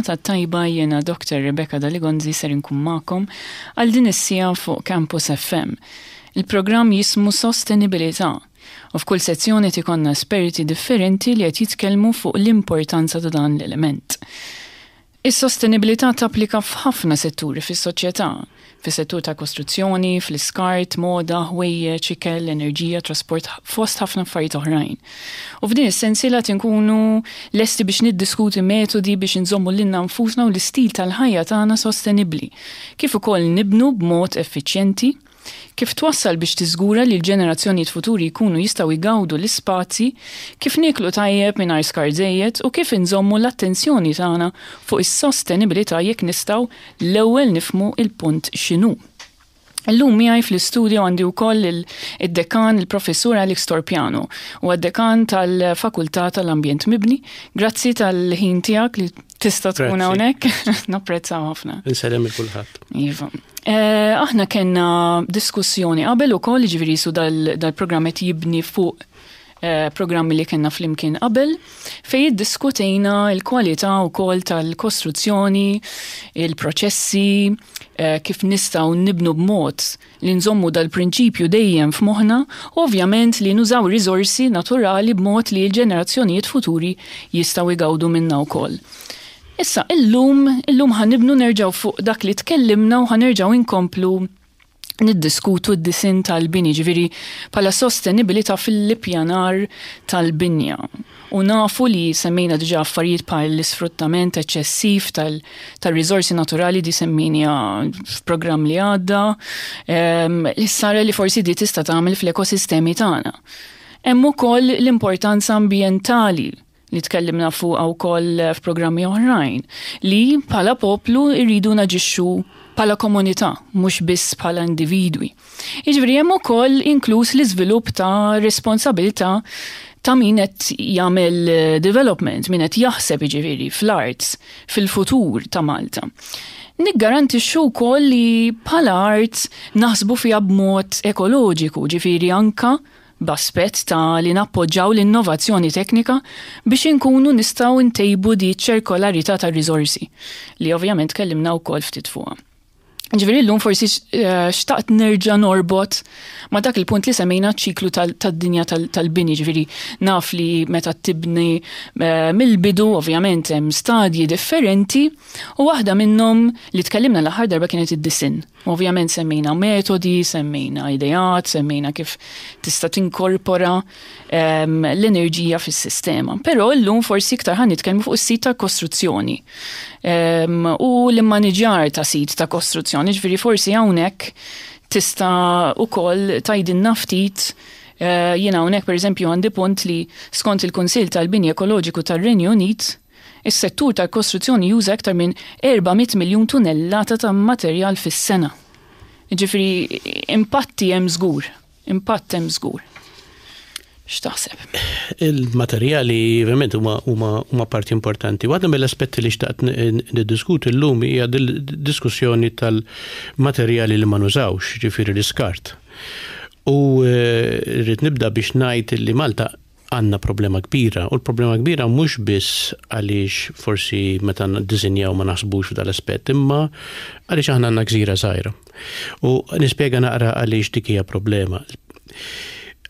Il-ġurnata t-tajba jiena Dr. Rebecca Daligonzi ser inkun magħkom għal din is-siegħa fuq Campus FM. Il-programm jismu Sostenibilità u f'kull sezzjoni qed ikollna esperti differenti li qed jitkellmu fuq l-importanza ta' dan l-element. Is-sostenibilità tapplika f'ħafna setturi fis-soċjetà, fis-settur tal-kostruzzjoni, fl-iskart, moda, ħwejjeġ, ikel, enerġija, trasport fost ħafna affarijiet oħrajn. U f'din is-sensiela qed inkunu lesti biex niddiskuti metodi biex inżommu lilna nfusna u l-istil tal-ħajja tagħna sostenibbli, kif ukoll nibnu b'mod effiċjenti, Kif twassal biex tiżgura li l-ġenerazzjonijiet futuri jkunu jistgħu jgawdu l-ispazji, kif nieklu tajjeb mingħajr skart żejjed u kif inżommu l-attenzjoni tagħna fuq is-sostenibilità jekk nistgħu l-ewwel nifhmu l-punt x'inhu. Illum miegħi fl-istudio għandi wkoll id-dekan il-Professur Alex Torpiano, huwa d-dekan tal-Fakultà tal-Ambjent Mibni. Grazzi tal-ħin tiegħek li tista' tkun hawnhekk, napprezzaw ħafna. Insellem il kulħadd. Iva. Eh, aħna kellna diskussjoni qabel ukoll, ġifieri su dal-programm qed jibni fuq eh, programmi li kellna flimkien qabel, fej iddiskutejna l-kwalità wkoll tal-kostruzzjoni, il-proċessi, eh, kif nistgħu nibnu b'mod li nżommu dal-prinċipju dejjem f'moħħna u ovvjament li nużaw riżorsi naturali b'mod li l-ġenerazzjonijiet futuri jistgħu jgawdu minna wkoll. Issa, illum, illum ħa nibnu nerġgħu fuq dak li tkellimna u ħa nerġgħu inkomplu niddiskutu d-disinn tal-bini, ġifieri bħala sostenibilità fil-ippjanar tal-binja. U nafu li semmejna diġà affarijiet bħal l-isfruttament eċċessiv tal-riżorsi naturali di semmejna f'programm li għadda, ehm, l-ħsara li forsi di tista' tagħmel fl-ekosistemi tagħna. Hemm ukoll l-importanza ambjentali li tkellimna fuqha wkoll f'programmi oħrajn, li bħala poplu rridu naġixxu bħala komunità, mhux biss bħala individwi. Jiġifieri hemm ukoll inkluż l-iżvilupp ta' responsabilità ta' min qed jagħmel development, min qed jaħseb jiġifieri fl-arts, fil-futur ta' Malta. Niggarantixxu wkoll li bħala art naħsbu fiha b'mod ekoloġiku, ġifieri anka b'aspett ta' li nappoġġaw l-innovazzjoni teknika biex inkunu nistgħu ntejbu di ċ-ċirkolarità tar-riżorsi, li ovvjament tkellimna wkoll ftit fuqha. Ġifieri llum forsi eh, xtaqt nerġa' norbot ma' dak il-punt li semmejna ċiklu tad-dinja tal-bini, ġifieri naf li meta tibni eh, mill-bidu ovvjament hemm stadji differenti u waħda minnhom li tkellimna l-aħħar darba kienet id-disinn. Ovvjament semmejna metodi, semmejna ideat, semmejna kif tista' tinkorpora ehm, l-enerġija fis-sistema. Però llum forsi iktar ħan nitkellmu fuq is-sit ta' kostruzzjoni ehm, u l-immaniġjar ta' sit ta' kostruzzjoni, ġifieri forsi hawnhekk tista' ukoll tgħidilna ftit eh, jiena hawnhekk pereżempju għandi punt li skont il-Kunsill tal-Bini Ekoloġiku tar-Renju Unit Is-settur tal-kostruzzjoni juża iktar minn 400 miljun tunellata ta' materjal fis-sena. Jiġifieri impatti hemm żgur, impatt hemm żgur. X'taħseb? Il-materjali ovvjament huma huma parti importanti. Waħda mill-aspetti li xtaqt niddiskuti llum hija diskussjoni tal-materjali li ma nużawx, ġifieri l-iskart. U eh, rrid nibda biex ngħid li Malta għandna problema kbira u l-problema kbira mhux biss għaliex forsi meta niddisinjaw ma naħsbux f'dal-aspett imma għaliex aħna għandna gżira żgħira. U nispjega naqra għaliex dik hija problema.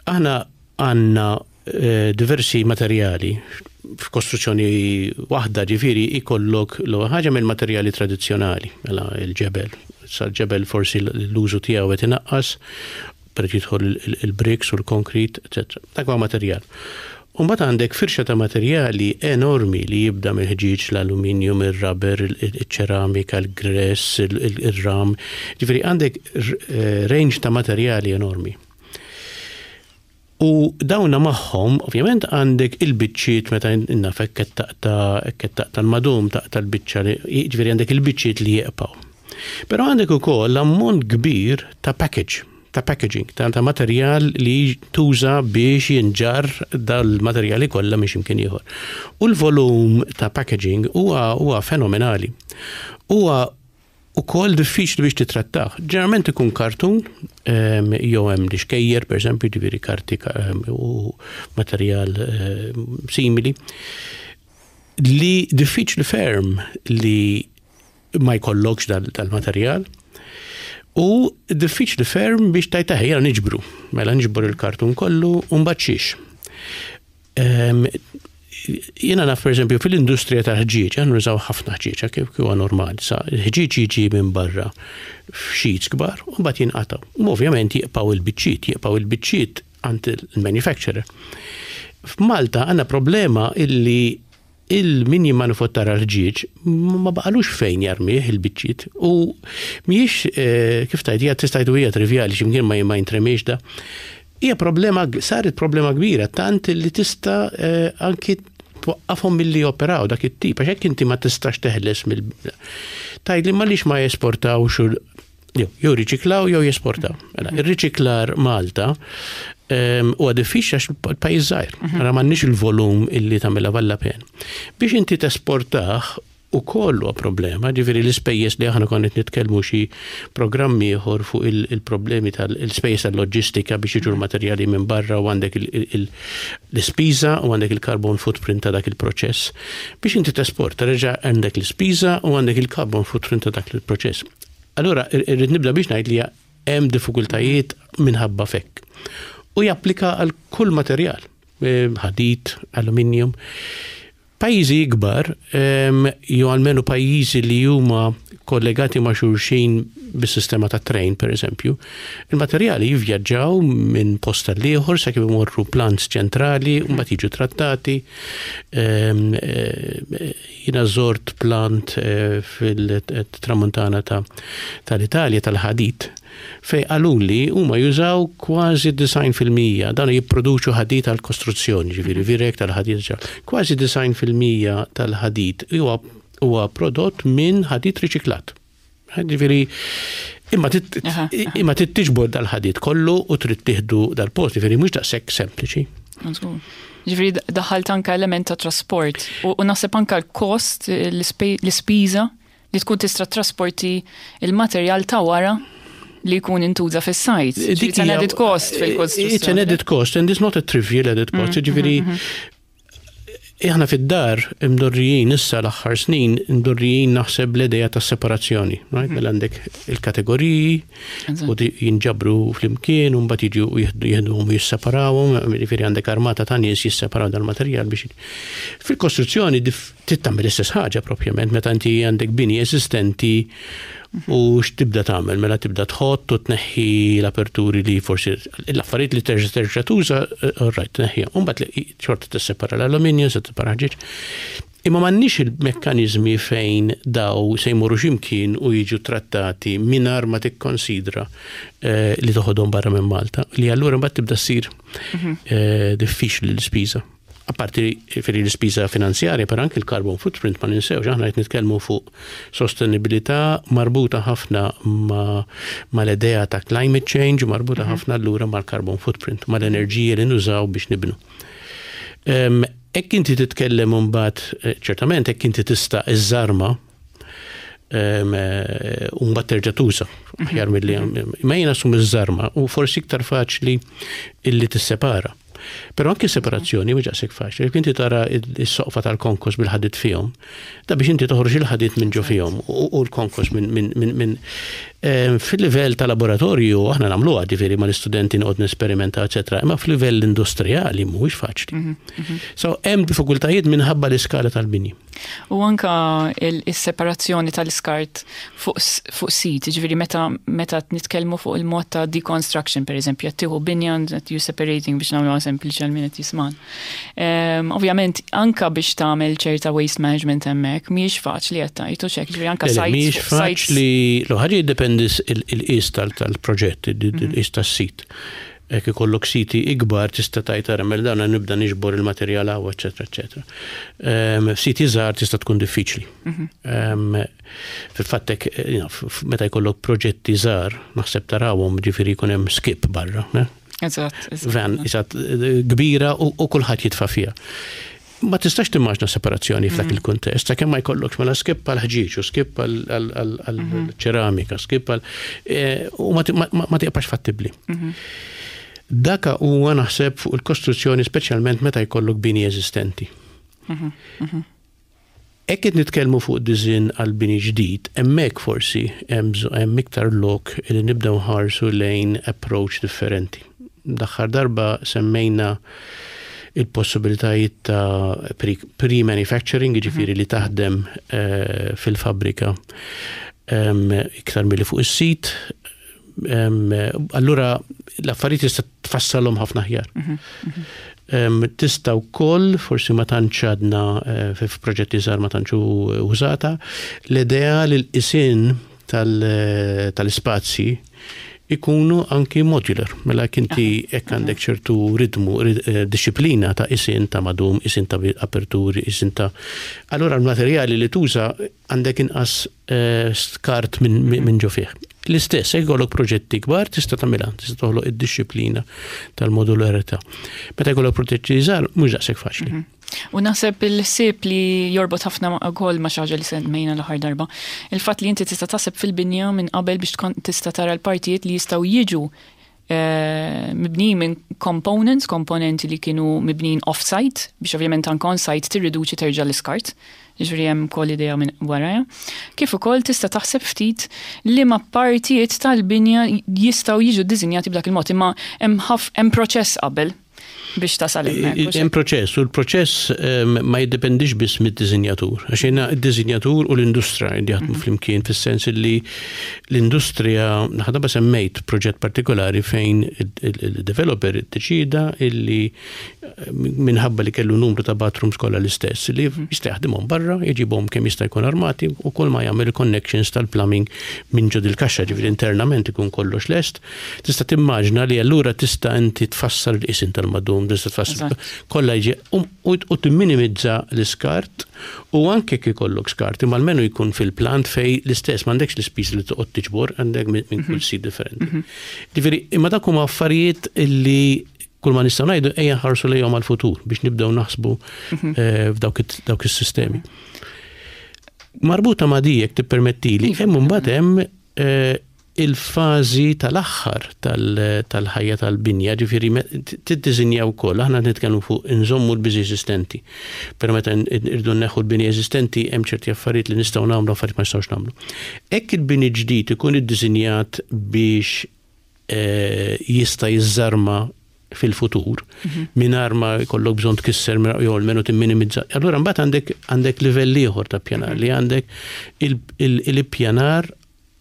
Aħna għandna eh, diversi materjali f'kostruzzjoni waħda ġifieri ikollok l ħaġa mill-materjali tradizzjonali, mela il-ġebel. Sa ġebel forsi l-użu tiegħu qed inaqqas per jidħol il-bricks u l-konkrit, etc. Dak huwa materjal. U mbagħad għandek firxa ta' materjali enormi li jibda mill-ħġieġ, l-aluminium, ir-rubber, iċ-ċeramika, il-gress, ir-ram. Ġifieri għandek eh, range ta' materjali enormi. U dawna magħhom, ovvjament għandek il-biċċiet meta naf hekk qed taqta' hekk qed taqta' l-madum taqta' l-biċċa li jiġifieri għandek il-biċċiet li jibqgħu. Però għandek ukoll ammont kbir ta' package, ta' packaging, ta' ta' materjal li tuża biex jinġarr dal-materjali kollha minn x'imkien ieħor. U l-volum ta' packaging huwa huwa fenomenali. Huwa ukoll diffiċli biex titrattah. Ġeneralment ikun kartun, ehm, jew hemm li xkejjer, pereżempju, ġifieri karti ehm, u materjal ehm, simili. Li diffiċli ferm li ma jkollokx dal-materjal. U diffiċli ferm biex tajta ħejja niġbru. Mela niġbru il-kartun kollu u mbagħad xiex. Jiena naf pereżempju fil-industrija tal-ħġieġ, aħna nużaw ħafna ħġieġ, kif huwa normali. Sa l-ħġieġ jiġi minn barra f'xeets kbar u mbagħad jinqatgħu. U ovvjament jibqgħu il-biċċiet, jibqgħu il-biċċiet għand il-manufacturer. F'Malta għandna problema illi il-min jimmanufattara l-ħġieġ ma baqalux fejn jarmih il-biċċiet u mhijiex eh, kif tajt hija tista' hija trivjali x'imkien ma ma jintremiex da. Hija problema saret problema kbira tant li tista' eh, anki twaqqafhom milli joperaw dak it-tip għax hekk inti ma tistax teħles mill Tgħidli ma lix ma jesportawx Jew riċiklaw jew jesportaw. Mela, ir-riċiklar Malta ehm, huwa diffiċli għax il-pajjiż żgħir. Mhm. Ara m'għandniex il-volum illi tagħmilha valla pen. Biex inti tesportah u koll huwa problema, ġifieri l-ispejjeż li aħna konna qed nitkellmu xi programm ieħor fuq il-problemi tal-ispejjeż tal-loġistika biex jiġu l-materjali minn barra u għandek l-ispiża u għandek il-carbon footprint ta' dak il-proċess. Biex inti tesporta reġa' għandek l-ispiża u għandek il-carbon footprint ta' dak il-proċess. Allura, irrid nibda biex ngħid li hemm diffikultajiet minħabba fekk. U japplika għal kull materjal, eh, ħadid, aluminium. Pajjiżi ikbar, ehm, jew almenu pajjiżi li huma kollegati ma' xulxin bis-sistema ta' train, per eżempju, il-materjali jivvjaġġaw minn post għal ieħor sakemm imorru plants ċentrali u mbagħad jiġu trattati. Ehm, eh, Jiena żort plant eh, fil-tramuntana tal-Italja tal-ħadid fej qaluli huma jużaw kważi 90% dan jipproduċu ħadid għal kostruzzjoni, ġifieri virek tal-ħadid kważi 90% tal-ħadid huwa huwa prodott minn ħadid riċiklat. Ġifieri imma imma trid tiġbor dal-ħadid kollu u trid tieħdu dal-post, ġifieri mhux daqshekk sempliċi. Ġifieri daħalt anke element ta' trasport u naħseb anke l-kost, l-ispiża li tkun tista' trasporti il-materjal ta' wara li jkun intuża fis-sajt. It's an added cost fil-kostruzzjoni. It's an added cost and it's not a trivial added cost. Mm, ġifieri mm, mm, Aħna fid-dar imdorrijin issa l-aħħar snin imdorrijin naħseb l-idea ta' separazzjoni. Right? Mela għandek il-kategoriji u jinġabru flimkien u mbagħad jiġu jieħduhom u jisseparawhom, jiġifieri għandek armata ta' nies jisseparaw dal-materjal biex Fil-kostruzzjoni trid tagħmel l-istess ħaġa propjament meta inti għandek bini eżistenti u x'tibda tagħmel mela tibda tħott u tneħħi l-aperturi li forsi l-affarijiet li terġa' terġa' tuża, eh, all right, tneħħiha. U mbagħad xorta tissepara l-alluminju, se tissepara ħġieġ. Imma m'għandniex il-mekkaniżmi fejn daw se jmorru x'imkien u jiġu trattati mingħajr ma tikkonsidra eh, li toħodhom barra minn Malta, li allura mbagħad tibda ssir mhm. eh, diffiċli l-ispiża. Apparti feri l-ispiża finanzjarja, per anki l-carbon footprint ma ninsewx, aħna qed nitkellmu fuq sostenibilità marbuta ħafna ma l-idea ta' climate change, marbuta mhm. ħafna allura mal-carbon footprint, mal-enerġija li nużaw biex nibnu. Hekk inti titkellem imbagħad, eh, ċertament hekk inti tista' iżżarma eh, u mbagħad terġa' tuża aħjar milli ma jiena sum iż-żarma u forsi iktar faċli illi tissepara. Però anke separazzjoni mhux daqshekk faċli. Jekk inti tara s-soqfa tal-konkos bil-ħadid fihom, da biex inti toħroġ il-ħadid minn ġo fihom u l-konkos minn eh, fil-livell ta' laboratorju aħna nagħmluha ġifieri mal-istudenti noqgħod nesperimenta eċetera, imma fil-livell industrijali mhuwiex faċli. Mhm, mhm. So hemm diffikultajiet minħabba l-iskala tal-bini. U anka il-separazzjoni tal-iskart fuq sit, ġifieri meta meta nitkellmu fuq il-mod ta' deconstruction, per eżempju, qed tieħu binja qed you separating biex nagħmluha sempliċi għal min qed jisman. Ehm, ovvjament anka biex tagħmel ċerta waste management hemmhekk mhijiex faċli qed tgħid u xek, ġifieri anka sites. Mhijiex faċli, l-ħaġa jiddependi il-qis tal-proġett, il-qis tas-sit. Jekk ikollok siti ikbar tista' tgħid ara mela dan nibda niġbor il-materjal hawn, eċetera, eċetera. Ehm, f'siti żgħar tista' tkun diffiċli. Mhm. Ehm, fil-fatt hekk, eh, meta jkollok proġetti żgħar, naħseb tarawhom ġifieri jkun hemm skip barra. Eh? Eżatt. Van, eżatt, eh, kbira u kulħadd jitfa' fiha. Ma tistax timmaġna separazzjoni f'dak mm. il-kuntest, sakemm ma jkollokx mela skip għal ħġieġ u skip għal mhm. ċeramika, skip għal eh, u ma tiqpax fattibbli. Mhm. Daka huwa naħseb fuq il-kostruzzjoni speċjalment meta jkollok bini eżistenti. Mhm, Hekk qed nitkellmu fuq disinn għal bini ġdid, hemmhekk forsi hemm iktar lok li nibdew nħarsu lejn approach differenti. L-aħħar darba semmejna il-possibilitajiet ta' pre-manufacturing, jiġifieri li taħdem fil-fabbrika iktar milli fuq is-sit. Allura l-affarijiet tista' tfassalhom ħafna aħjar. Tista' wkoll, forsi ma tantx għadna eh, f'proġetti żgħar ma tantx użata, l-idea li l-qisien eh, tal-ispazji ikunu anki modular. Mela kinti hekk għandek ċertu ritmu, eh, disciplina ta' isin ta' madum, isin ta' aperturi, isin ta' Allura l-materjali li tuża għandek inqas eh, skart minn ġo fih. L-istess, jekk ikollok proġetti kbar tista' tagħmilha, tista' toħloq id-dixxiplina tal-modularità. Meta jkollok proġetti żgħar mhux daqshekk faċli. Mhm. U naħseb il-ħsieb li jorbot ħafna ukoll ma' xi ħaġa li semmejna l-aħħar darba. Il-fatt li inti tista' taħseb fil-binja minn qabel biex tkun tista' tara l-partijiet li jistgħu jiġu eh, mibnijin minn components, komponenti li kienu mibnijin off-site, biex ovvjament anke on-site tirriduċi terġa' l-iskart. Ġifieri hemm ukoll idea minn warajha. Kif ukoll tista' taħseb ftit li ma partijiet tal-binja jistgħu jiġu ddisinjati b'dak il-mod, imma hemm proċess qabel biex tasal hemmhekk. Hemm proċess u l-proċess ehm, ma jiddependix biss mid-disinjatur. Għax jiena d-disinjatur u l-industrija li jaħdmu mhm. flimkien fis-sens li l-industrija ħadaba semmejt proġett partikolari fejn il-developer iddeċida illi eh, minħabba li kellu numru ta' bathrooms kollha l-istess li mhm. jista' jaħdimhom barra, jġibhom kemm jista' jkun armati u kull ma jagħmel connections tal-plumbing minn ġod il-kaxxa ġifieri internament ikun kollox lest. Tista' timmaġna li allura tista' inti tfassal il-qisin tal-madum, tista' tfassal kollha jiġi um, u timminimizza l-iskart u anke kif ikollok skart, imma almenu jkun fil-plant fej l-istess m'għandekx l-ispiż li toqgħod tiġbor għandek minn kull mhm. sit differenti. Mhm. Ġifieri, imma dak huma affarijiet li kull ma nistgħu ngħidu ejja nħarsu lejhom għall-futur biex nibdew naħsbu mhm. eh, f'dawk is-sistemi. Marbuta ma' dijek tippermettili, iva. hemm imbagħad hemm eh, il-fażi tal-aħħar tal-ħajja tal-binja, ġifieri tiddisinja wkoll, aħna nitkellmu fuq inżommu l-biżi eżistenti. Però meta irdu nneħħu l-bini eżistenti hemm ċerti affarijiet li nistgħu nagħmlu affarijiet ma nistgħux nagħmlu. Hekk il-bini ġdid ikun iddisinjat biex eh, jista' jiżżarma fil-futur mhm. mingħajr ma jkollok bżonn tkisser jew almenu timminimizza. Allura mbagħad għandek għandek livell ieħor ta' pjanar li għandek il-ippjanar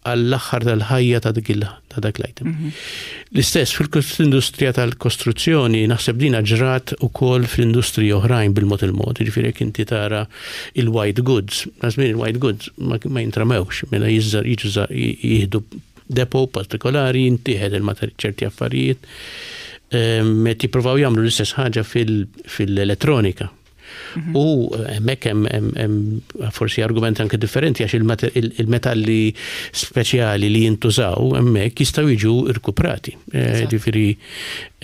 għall-aħħar tal-ħajja ta' dik ta' dak l-item. Mhm. L-istess fil-industrija tal-kostruzzjoni naħseb dina ġrat ukoll fl-industriji oħrajn bil-mod il-mod, jiġifieri jekk inti tara il-white goods, żmien il-white goods ma jintramewx, mela jiżżar jiġu jieħdu depo partikolari, jintieħed il-materjal ċerti affarijiet. Ehm, meta jippruvaw jagħmlu l-istess ħaġa fil-elettronika. Mhm. U hemmhekk hemm forsi argument anke differenti għax il-metalli speċjali li jintużaw hemmhekk jistgħu jiġu rkuprati. Eh, ġifieri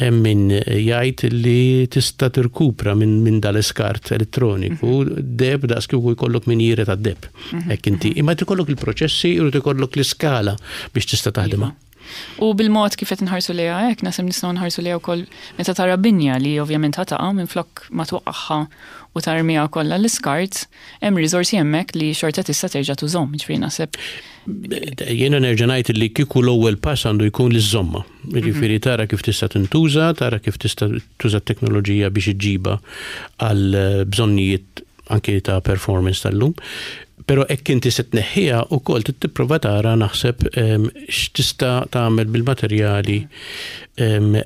hemm min jgħid li tista' tirkupra minn dal-iskart elettroniku mhm. deb daqs kieku jkollok minjieri tad-deb. Mhm. Hekk inti. Imma jkollok il-proċessi, jrid ikollok l-iskala biex tista' taħdimha. Iva. U bil-mod kif qed nħarsu lejha hekk, naħseb nistgħu nħarsu lejha wkoll meta tara binja li ovvjament ħa taqa' minflok ma twaqqagħha u tarmiha kollha l-iskart, hemm riżorsi hemmhekk li xorta tista' terġa' tużhom, jiġifieri naħseb. Jiena nerġa' ngħid li kieku l-ewwel pass għandu jkun li żżommha. Jiġifieri mhm. tara kif tista' tintuża, tara kif tista' tuża t-teknoloġija biex iġġibha għal bżonnijiet anki ta' performance tal-lum. Pero hekk inti se tneħħiha wkoll trid tipprova tara naħseb ehm, x'tista' tagħmel bil-materjali ehm,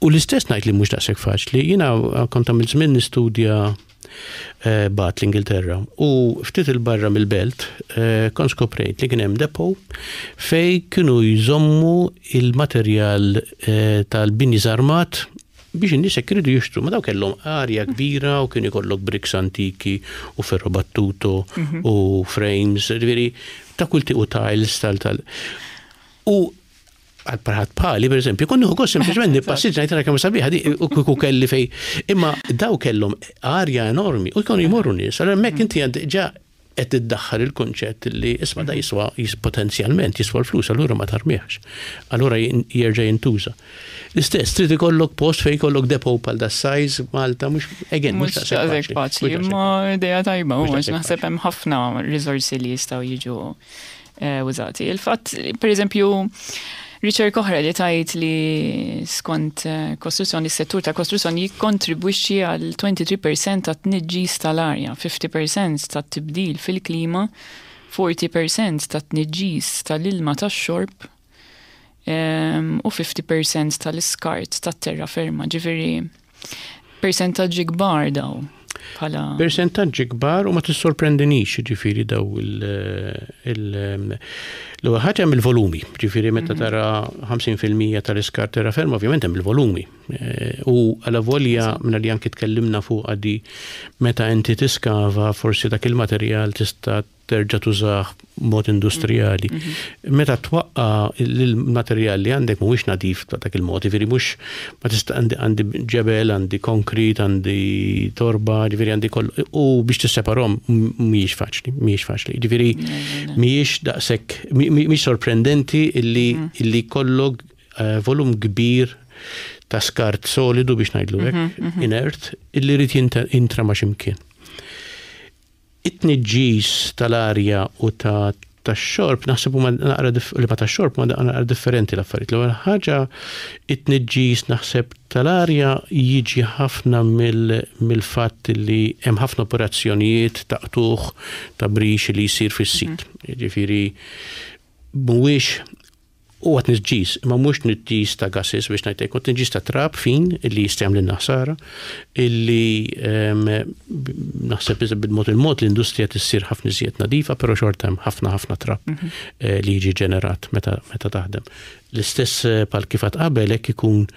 U l-istess ngħid li mhux daqshekk faċli, jiena kont għamilt żmien nistudja eh, bat l-Ingilterra u ftit il-barra mill-belt eh, kont skoprejt li kien hemm depot fej kienu jżommu il-materjal eh, tal-bini żarmat biex in-nies hekk iridu jixtru, ma daw kellhom arja kbira u kien ikollok bricks antiki u ferro battuto mhm. u frames, ġifieri ta' kull u tiles tal tal. U għal parħat bħali, per eżempju, konni ukoll sempliċement nippassiġġa ngħid kemm sabiħa di u kieku kelli fej. Imma daw kellhom arja enormi u jkunu jmorru nies. Allora hemmhekk inti għand ġa qed iddaħħal il-kunċett li isma' da jiswa potenzjalment jiswa l-flus, allura ma tarmihx. Allura jerġa' jintuża. L-istess, trid ikollok post fejn ikollok depot bħal da size Malta, mhux again, mhux daqshekk faċli, imma idea tajba, u għax naħseb hemm ħafna riżorsi li jistgħu jiġu eh, użati. Il-fatt, per eżempju, riċerka oħra li tajt li skont eh, kostruzzjoni, settur ta' kostruzzjoni jikkontribwixxi għal 23% ta' tniġġis tal-arja, 50% ta' tibdil fil-klima, 40% ta' tniġġis tal-ilma tax-xorb u 50% tal-iskart tat-terra ferma, ġifieri persentaġġi kbar daw. Bħala. Persentaġġi kbar u ma tissorprendinix, ġifieri daw il- l-ewwel ħaġa hemm il-volumi, ġifieri meta mhm. tara 50% tal-iskart terra ferma, ovvjament hemm il-volumi. Eh, u għala volja minna li anki tkellimna fuq għadi meta inti tiskava forsi dak il-materjal tista' terġa' tużah b'mod industrijali. Mhm. Meta twaqqa l-materjal li għandek mhuwiex nadif ta' dak il-mod, jiġifieri mhux ma tista' għandi ġebel, għandi konkrit, għandi torba, jiġifieri għandi kollu. U biex tisseparhom mhijiex faċli, mhijiex faċli. Jiġifieri mhijiex daqshekk mhijiex sorprendenti illi mhm. illi kollok eh, volum kbir ta' skart solidu biex ngħidlu hekk, mhm, inert, illi jrid jintrama x'imkien. It-tniġġis tal-arja u ta' tax-xorb naħseb huma naqra li ma tax-xorb huma naqra differenti l-affarijiet. L-ewwel ħaġa it-tniġġis naħseb tal-arja jiġi ħafna mill-fatt li hemm ħafna operazzjonijiet ta' qtugħ ta' brix li jsir fis-sit. Jiġifieri mhuwiex Huwa tniġġis, imma mhux tniġġis ta' gases biex ngħid hekk, huwa tniġġis ta' trab fin illi jista' jagħmlilna ħsara, illi ehm, naħseb bil-mod il-mod l-industrija tissir ħafna iżjed nadifa, però xorta hemm ħafna ħafna trab mhm. eh, li jiġi ġenerat meta meta taħdem. L-istess eh, pal kif qabel hekk ikun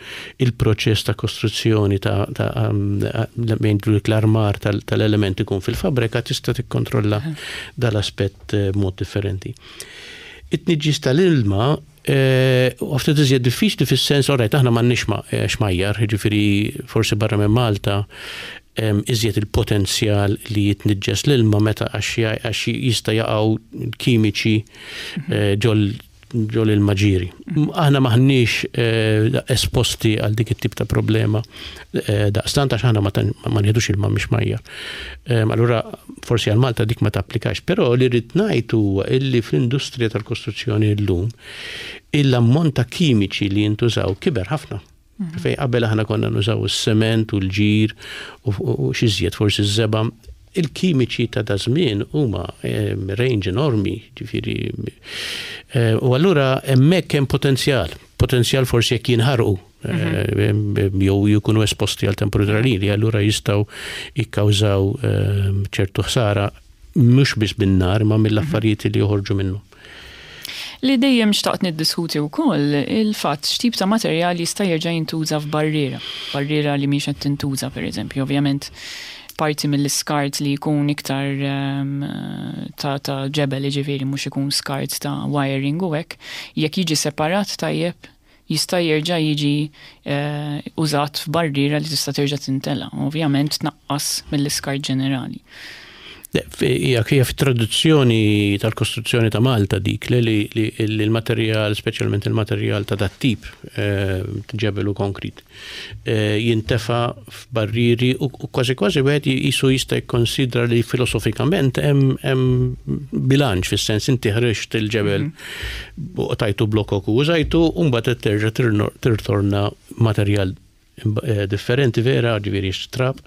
il-proċess ta' kostruzzjoni ta' ehm, l-armar tal-element ikun fil-fabrika tista' tikkontrolla mhm. dal-aspett eh, b'mod differenti. It-tniġġis tal-ilma u ftit iżjed diffiċli fis-sens, orajt, aħna m'għandniex eh, xmajjar, jiġifieri forsi barra minn Malta iżjed il-potenzjal li jitniġġes l-ilma meta għax jista' jaqgħu kimiċi mhm. eh, ġol ġol il-maġiri. Aħna maħniex eh, esposti għal dik it-tip ta' problema daqstant għax aħna ma nħidux ilma mhix majja. Allura forsi għal Malta dik ma tapplikax, però li rrid ngħid huwa illi fl-industrija tal-kostruzzjoni llum il-ammont ta' kimiċi li jintużaw kiber ħafna. Mhm. Fej qabel aħna konna nużaw is-sement u l-ġir u xi żjed forsi ż-żeba. Il-kimiċi ta' da żmien huma range enormi, ġifieri. Eh, u allura hemmhekk hemm potenzjal, potenzjal forsi jekk jinħarqu Mhm. Eh, jew jkunu esposti għal temperatura li allura jistgħu jikkawżaw eh, ċertu ħsara mhux biss bin-nar ma mill-affarijiet li joħorġu minnu. Li dejjem xtaqt niddiskuti wkoll il-fatt x'tip ta' materjal jista' jerġa' jintuża f'barriera, barriera li mhix qed tintuża pereżempju, ovvjament parti mill-iskart li jkun iktar ehm, ta', ta ġebel jiġifieri mhux ikun skart ta' wiring u hekk, jekk jiġi separat tajjeb jista' jerġa' jiġi użat f'barriera li tista' terġa' tintela', ovvjament tnaqqas mill-iskart ġenerali. Hija hija fit-traduzzjoni tal-kostruzzjoni ta' Malta dik li li l-materjal, speċjalment il-materjal ta' dat-tip, eh, ġebel u konkrit, eh, jintefa' f'barrieri u kważi kważi wieħed jisu jista' jikkonsidra li filosofikament hemm bilanċ fis-sens inti ħriġt il-ġebel mhm. u tajtu blokok u użajtu u mbagħad qed terġa' tirtorna materjal eh, differenti vera, ġifieri trab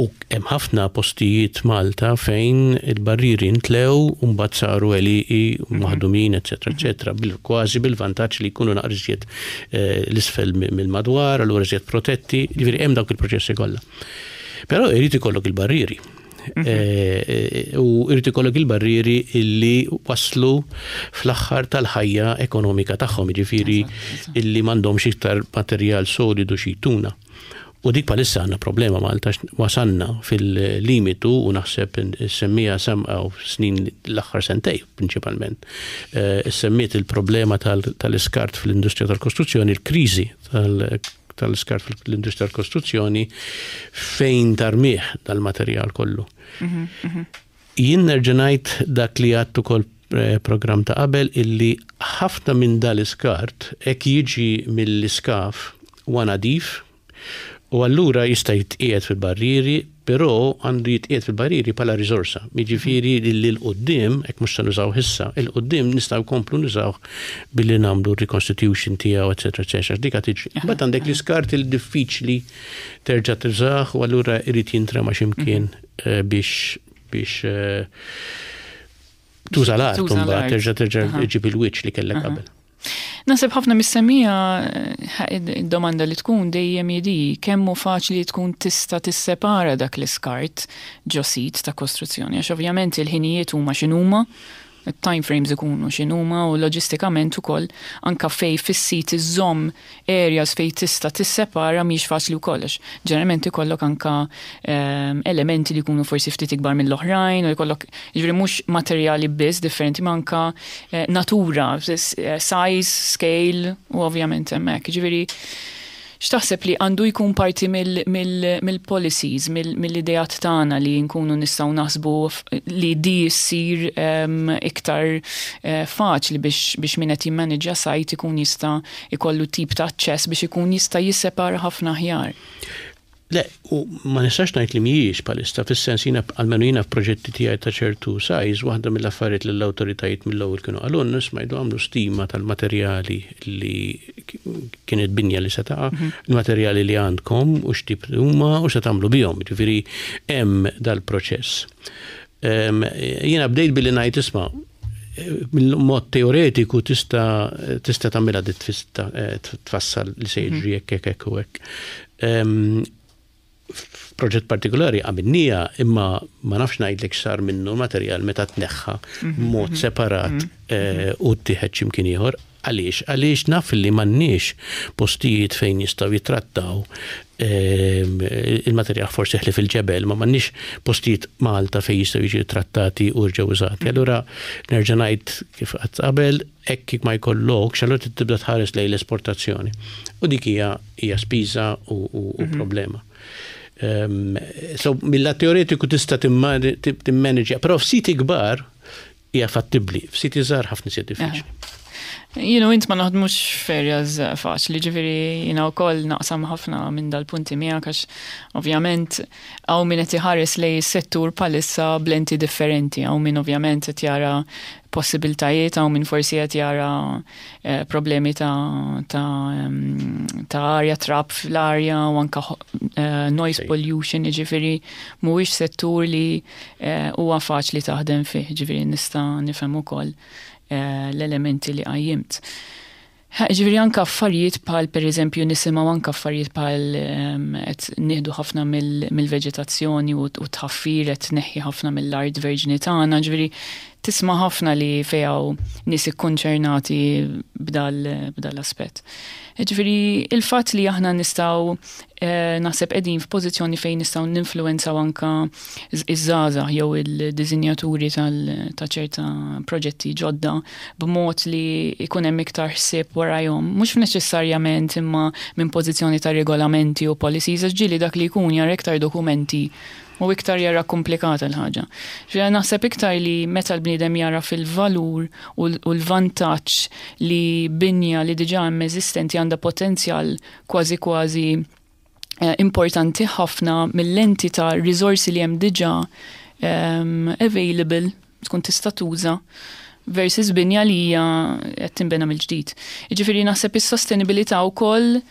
U hemm ħafna postijiet Malta fejn il-barrieri ntlew u mbagħad saru għelieqi mhm. maħdumin, eċetera, eċetera, kważi bil-vantaġġ li jkunu naqra iżjed eh, l-isfel mill-madwar, allura iżjed protetti, ġifieri hemm dawk il-proċessi kollha. Però irid ikollok il-barrieri. Mhm. Eh, eh, u irid ikollok il-barrieri illi waslu fl-aħħar tal-ħajja ekonomika tagħhom, jiġifieri illi m'għandhomx iktar materjal solidu xi jtuna. U dik bħalissa għandna problema Malta wasalna fil-limitu u naħseb semmija u snin l-aħħar sentej prinċipalment. Eh, semmiet il-problema tal-iskart fl-industrija tal-kostruzzjoni, il-kriżi tal-iskart fl-industrija tal-kostruzzjoni fejn tarmih dal-materjal kollu. Mhm, mhm. Jien nerġa' ngħid dak li għedt ukoll programm ta' qabel illi ħafna minn dal-iskart hekk jiġi mill-iskaf huwa nadif u allura jista' jitqiegħed fil-barrieri, però għandu jitqiegħed fil-barrieri bħala riżorsa. Jiġifieri li 'l quddiem, hekk mhux se nużawh issa, 'il quddiem nistgħu nkomplu nużawh billi nagħmlu reconstitution tiegħu, eċetera, eċetera. Dik tiġri. Imbagħad għandek l-iskart il diffiċli terġa' tużah u allura irid jintrema x'imkien biex biex tuża l-art, mbagħad terġa' terġa' ġib il-wiċċ li kellek qabel. Naħseb ħafna mis-semmiegħa id-domanda li tkun dejjem hi kemm hu faċli li tkun tista' tissepara dak l-iskart ġo sit ta' kostruzzjoni, għax ovvjament il-ħinijiet huma x'inhuma, time frames ikunu x'inhuma u loġistikament ukoll anka fej fis-sit iżżomm areas fej tista' tissepara mhix faċli wkoll għax ġeneralment ikollok anka elementi li jkunu forsi ftit ikbar mill-oħrajn u jkollok jiġifieri mhux materjali biss differenti ma anka natura, size, scale u ovvjament hemmhekk. Jiġifieri x'taħseb li għandu jkun parti mill-policies, mill-ideat tagħna li nkunu nistgħu naħsbu li di ssir iktar faċli biex min qed jimmaneġġja site ikun jista' ikollu tip ta' aċċess biex ikun jista' jissepara ħafna aħjar? Le, u ma nistax ngħid li mhijiex bħalissa, fis-sens jiena almenu jiena f'proġetti tiegħi ta' ċertu size, waħda mill-affarijiet li l-awtoritajiet mill-ewwel kienu qalulna, isma' jdu għamlu stima tal-materjali li kienet binja li se taqa', il-materjali li għandkom u x'tip huma u se tagħmlu bihom, jiġifieri hemm dal-proċess. Jiena bdejt billi ngħid isma' mill-mod teoretiku tista' tista' tagħmilha tfassal li se jiġri hekk hekk hekk u hekk. F'proġett partikolari għamilniha imma ma nafx ngħidlek x'sar minnu l-materjal meta tneħħa b'mod separat u ttieħed x'imkien ieħor. Għaliex? Għaliex naf li m'għandniex postijiet fejn jistgħu jittrattaw il-materjal forsi ħlief il-ġebel, ma m'għandniex postijiet Malta fejn jistgħu jiġu trattati u jerġgħu użati. Allura nerġa' ngħid kif għedt qabel, hekk ma jkollokx, allura trid tibda tħares lejn l-esportazzjoni. U dik hija hija spiża u problema. So mill-lat teoretiku tista' timmanage, però f'siti kbar hija fattibbli, f'siti żgħar ħafna iżjed diffiċli. You int ma naħdmux f'areas faċli, ġifieri jiena wkoll naqsam ħafna minn dal-punti miegħek għax ovvjament hawn min qed iħares lejn is-settur bħalissa b'lenti differenti, hawn min ovvjament qed jara possibiltajiet, hawn min forsi qed jara problemi ta' arja, trab fl-arja u anka noise pollution, ġifieri mhuwiex settur li huwa faċli taħdem fih, ġifieri nista' nifhem ukoll l-elementi li qajjimt. Ġifieri anka affarijiet bħal per eżempju nisimgħu anka affarijiet bħal qed nieħdu ħafna mill-veġetazzjoni u tħaffir qed tneħħi ħafna mill-art verġni tagħna, ġifieri tisma' ħafna li fejn hawn nies ikkonċernati b'dal-aspett. Ġifieri il-fatt li aħna nistgħu naħseb qegħdin f'pożizzjoni fejn nistgħu ninfluwenzaw anka iż-żgħażagħ jew il-disinjaturi ta' ċerta proġetti ġodda b'mod li jkun hemm iktar ħsieb warajhom, mhux neċessarjament imma minn pożizzjoni ta' regolamenti u policies, għax ġieli dak li jkun jara iktar dokumenti u iktar jara komplikata l-ħaġa. Ġifieri naħseb iktar li meta l-bniedem jara fil-valur u l-vantaġġ li binja li diġà hemm eżistenti għandha potenzjal kważi kważi importanti ħafna mill-lenti ta' risorsi li hemm diġà available tkun tista' tuża versus binja li hija qed tinbena mill-ġdid. Jiġifieri naħseb is-sostenibilità wkoll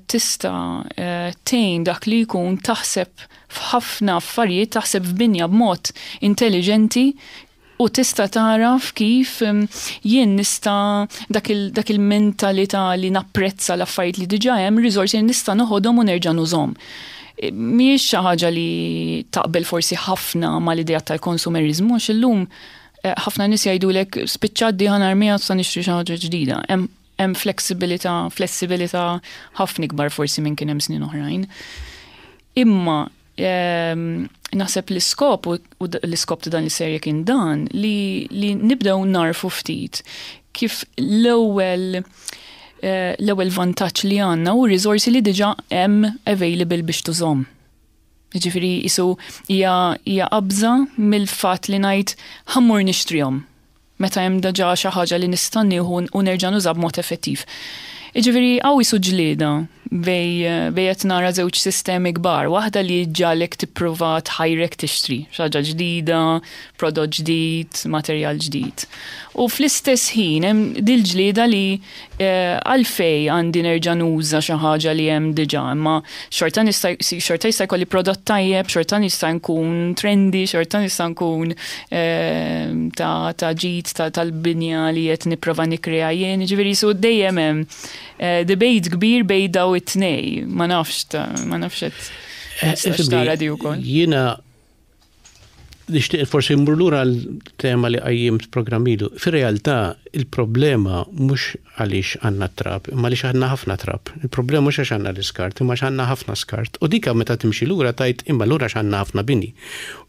tista' tgħin dak li jkun taħseb f'ħafna affarijiet, taħseb f'binja b'mod intelligenti u tista' taraf kif jien nista' dak il-mentalità li napprezza l-affarijiet li diġà hemm, riżorsi li nista' noħodhom u nerġa' nużhom. Mhijiex xi ħaġa li taqbel forsi ħafna mal-idea tal-konsumerizmu, għax illum ħafna nies jgħidulek spiċċat di ħa narmiha sa nixtri xi ħaġa ġdida. Hemm flessibilità ħafna ikbar forsi minn kien hemm snin oħrajn. Imma naħseb l-iskop u l-iskop ta' dan is-serje kien dan li nibdew narfu ftit kif l-ewwel vantaġġ li għandna u riżorsi li diġà hemm available biex tużhom. Jiġifieri qisu hija hija qabża mill-fatt li ngħid ħa mmur nixtrihom meta hemm diġà xi ħaġa li nista' nieħu u nerġa' nuża b'mod effettiv. Jiġifieri hawn qisu ġlieda bej bej qed nara żewġ sistemi kbar, waħda li ġġagħlek tipprova tħajrek tixtri xi ħaġa ġdida, prodott ġdid, materjal ġdid. U fl-istess ħin hemm dil-ġlieda li Għalfejn għandi nerġa' nuża xi ħaġa li hemm diġà, imma xorta nista' xorta jista' jkolli prodott tajjeb, xorta nista' nkun trendy, xorta nista' nkun ta' ta' ġid tal-binja li qed nipprova nikkrea jien, jiġifieri qisu dejjem hemm debate kbir bejn dawn it-tnejn, ma nafx ma nafx qed tara di wkoll. Jiena Nixtieq forsi mmur lura għal tema li qajjimt programm ilu. Fir-realtà, il-problema mhux għaliex għandna t-trab, imma għaliex għandna ħafna trab. Il-problema mhux għax għandna l-iskart, imma għax għandna ħafna skart. U dika meta timxi lura tgħid imma lura għax għandna ħafna bini.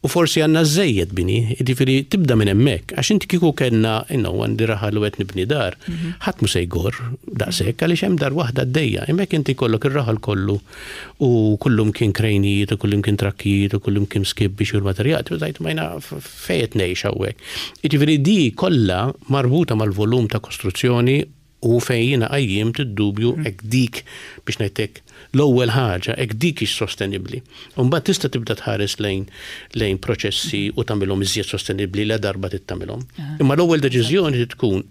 U forsi għandna żżejjed bini, jiġifieri tibda minn hemmhekk. Għax inti kieku kellna, you know, għandi raħal u qed nibni dar, ħadd mhu se jgorr daqshekk għaliex hemm dar waħda għaddejja. Imma jekk inti jkollok ir-raħal kollu u kullimkien krejnijiet u kullimkien trakkijiet u kullimkien skip biex jieħu l-materjal, tibda tgħid ma jiena fejn qed ngħix hawnhekk. Jiġifieri di kollha marbuta mal-volum ta' kostruzzjoni u fejn jiena qajjimt id-dubju hekk dik biex ngħid hekk l-ewwel ħaġa hekk dik hix sostenibbli. U mbagħad tista' tibda tħares lejn lejn proċessi u tagħmilhom iżjed sostenibbli la darba trid tagħmilhom. Imma l-ewwel deċiżjoni trid tkun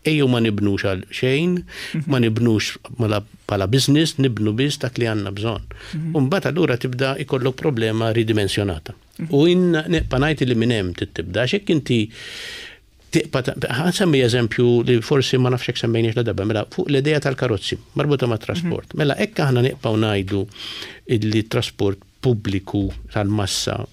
Ejjew ma nibnux għal xejn, ma nibnux bħala business, nibnu biss dak li għandna bżonn. U mbagħad allura tibda jkollok problema ridimensjonata. U jien nibqa' ngħid li minn hemm trid tibda għax jekk inti tibqa' ħa nsemmi eżempju li forsi ma nafx jekk semmejniex la darba, mela fuq l-idea tal-karozzi marbuta mat-trasport. Mela hekk aħna nibqgħu ngħidu li t-trasport pubbliku tal-massa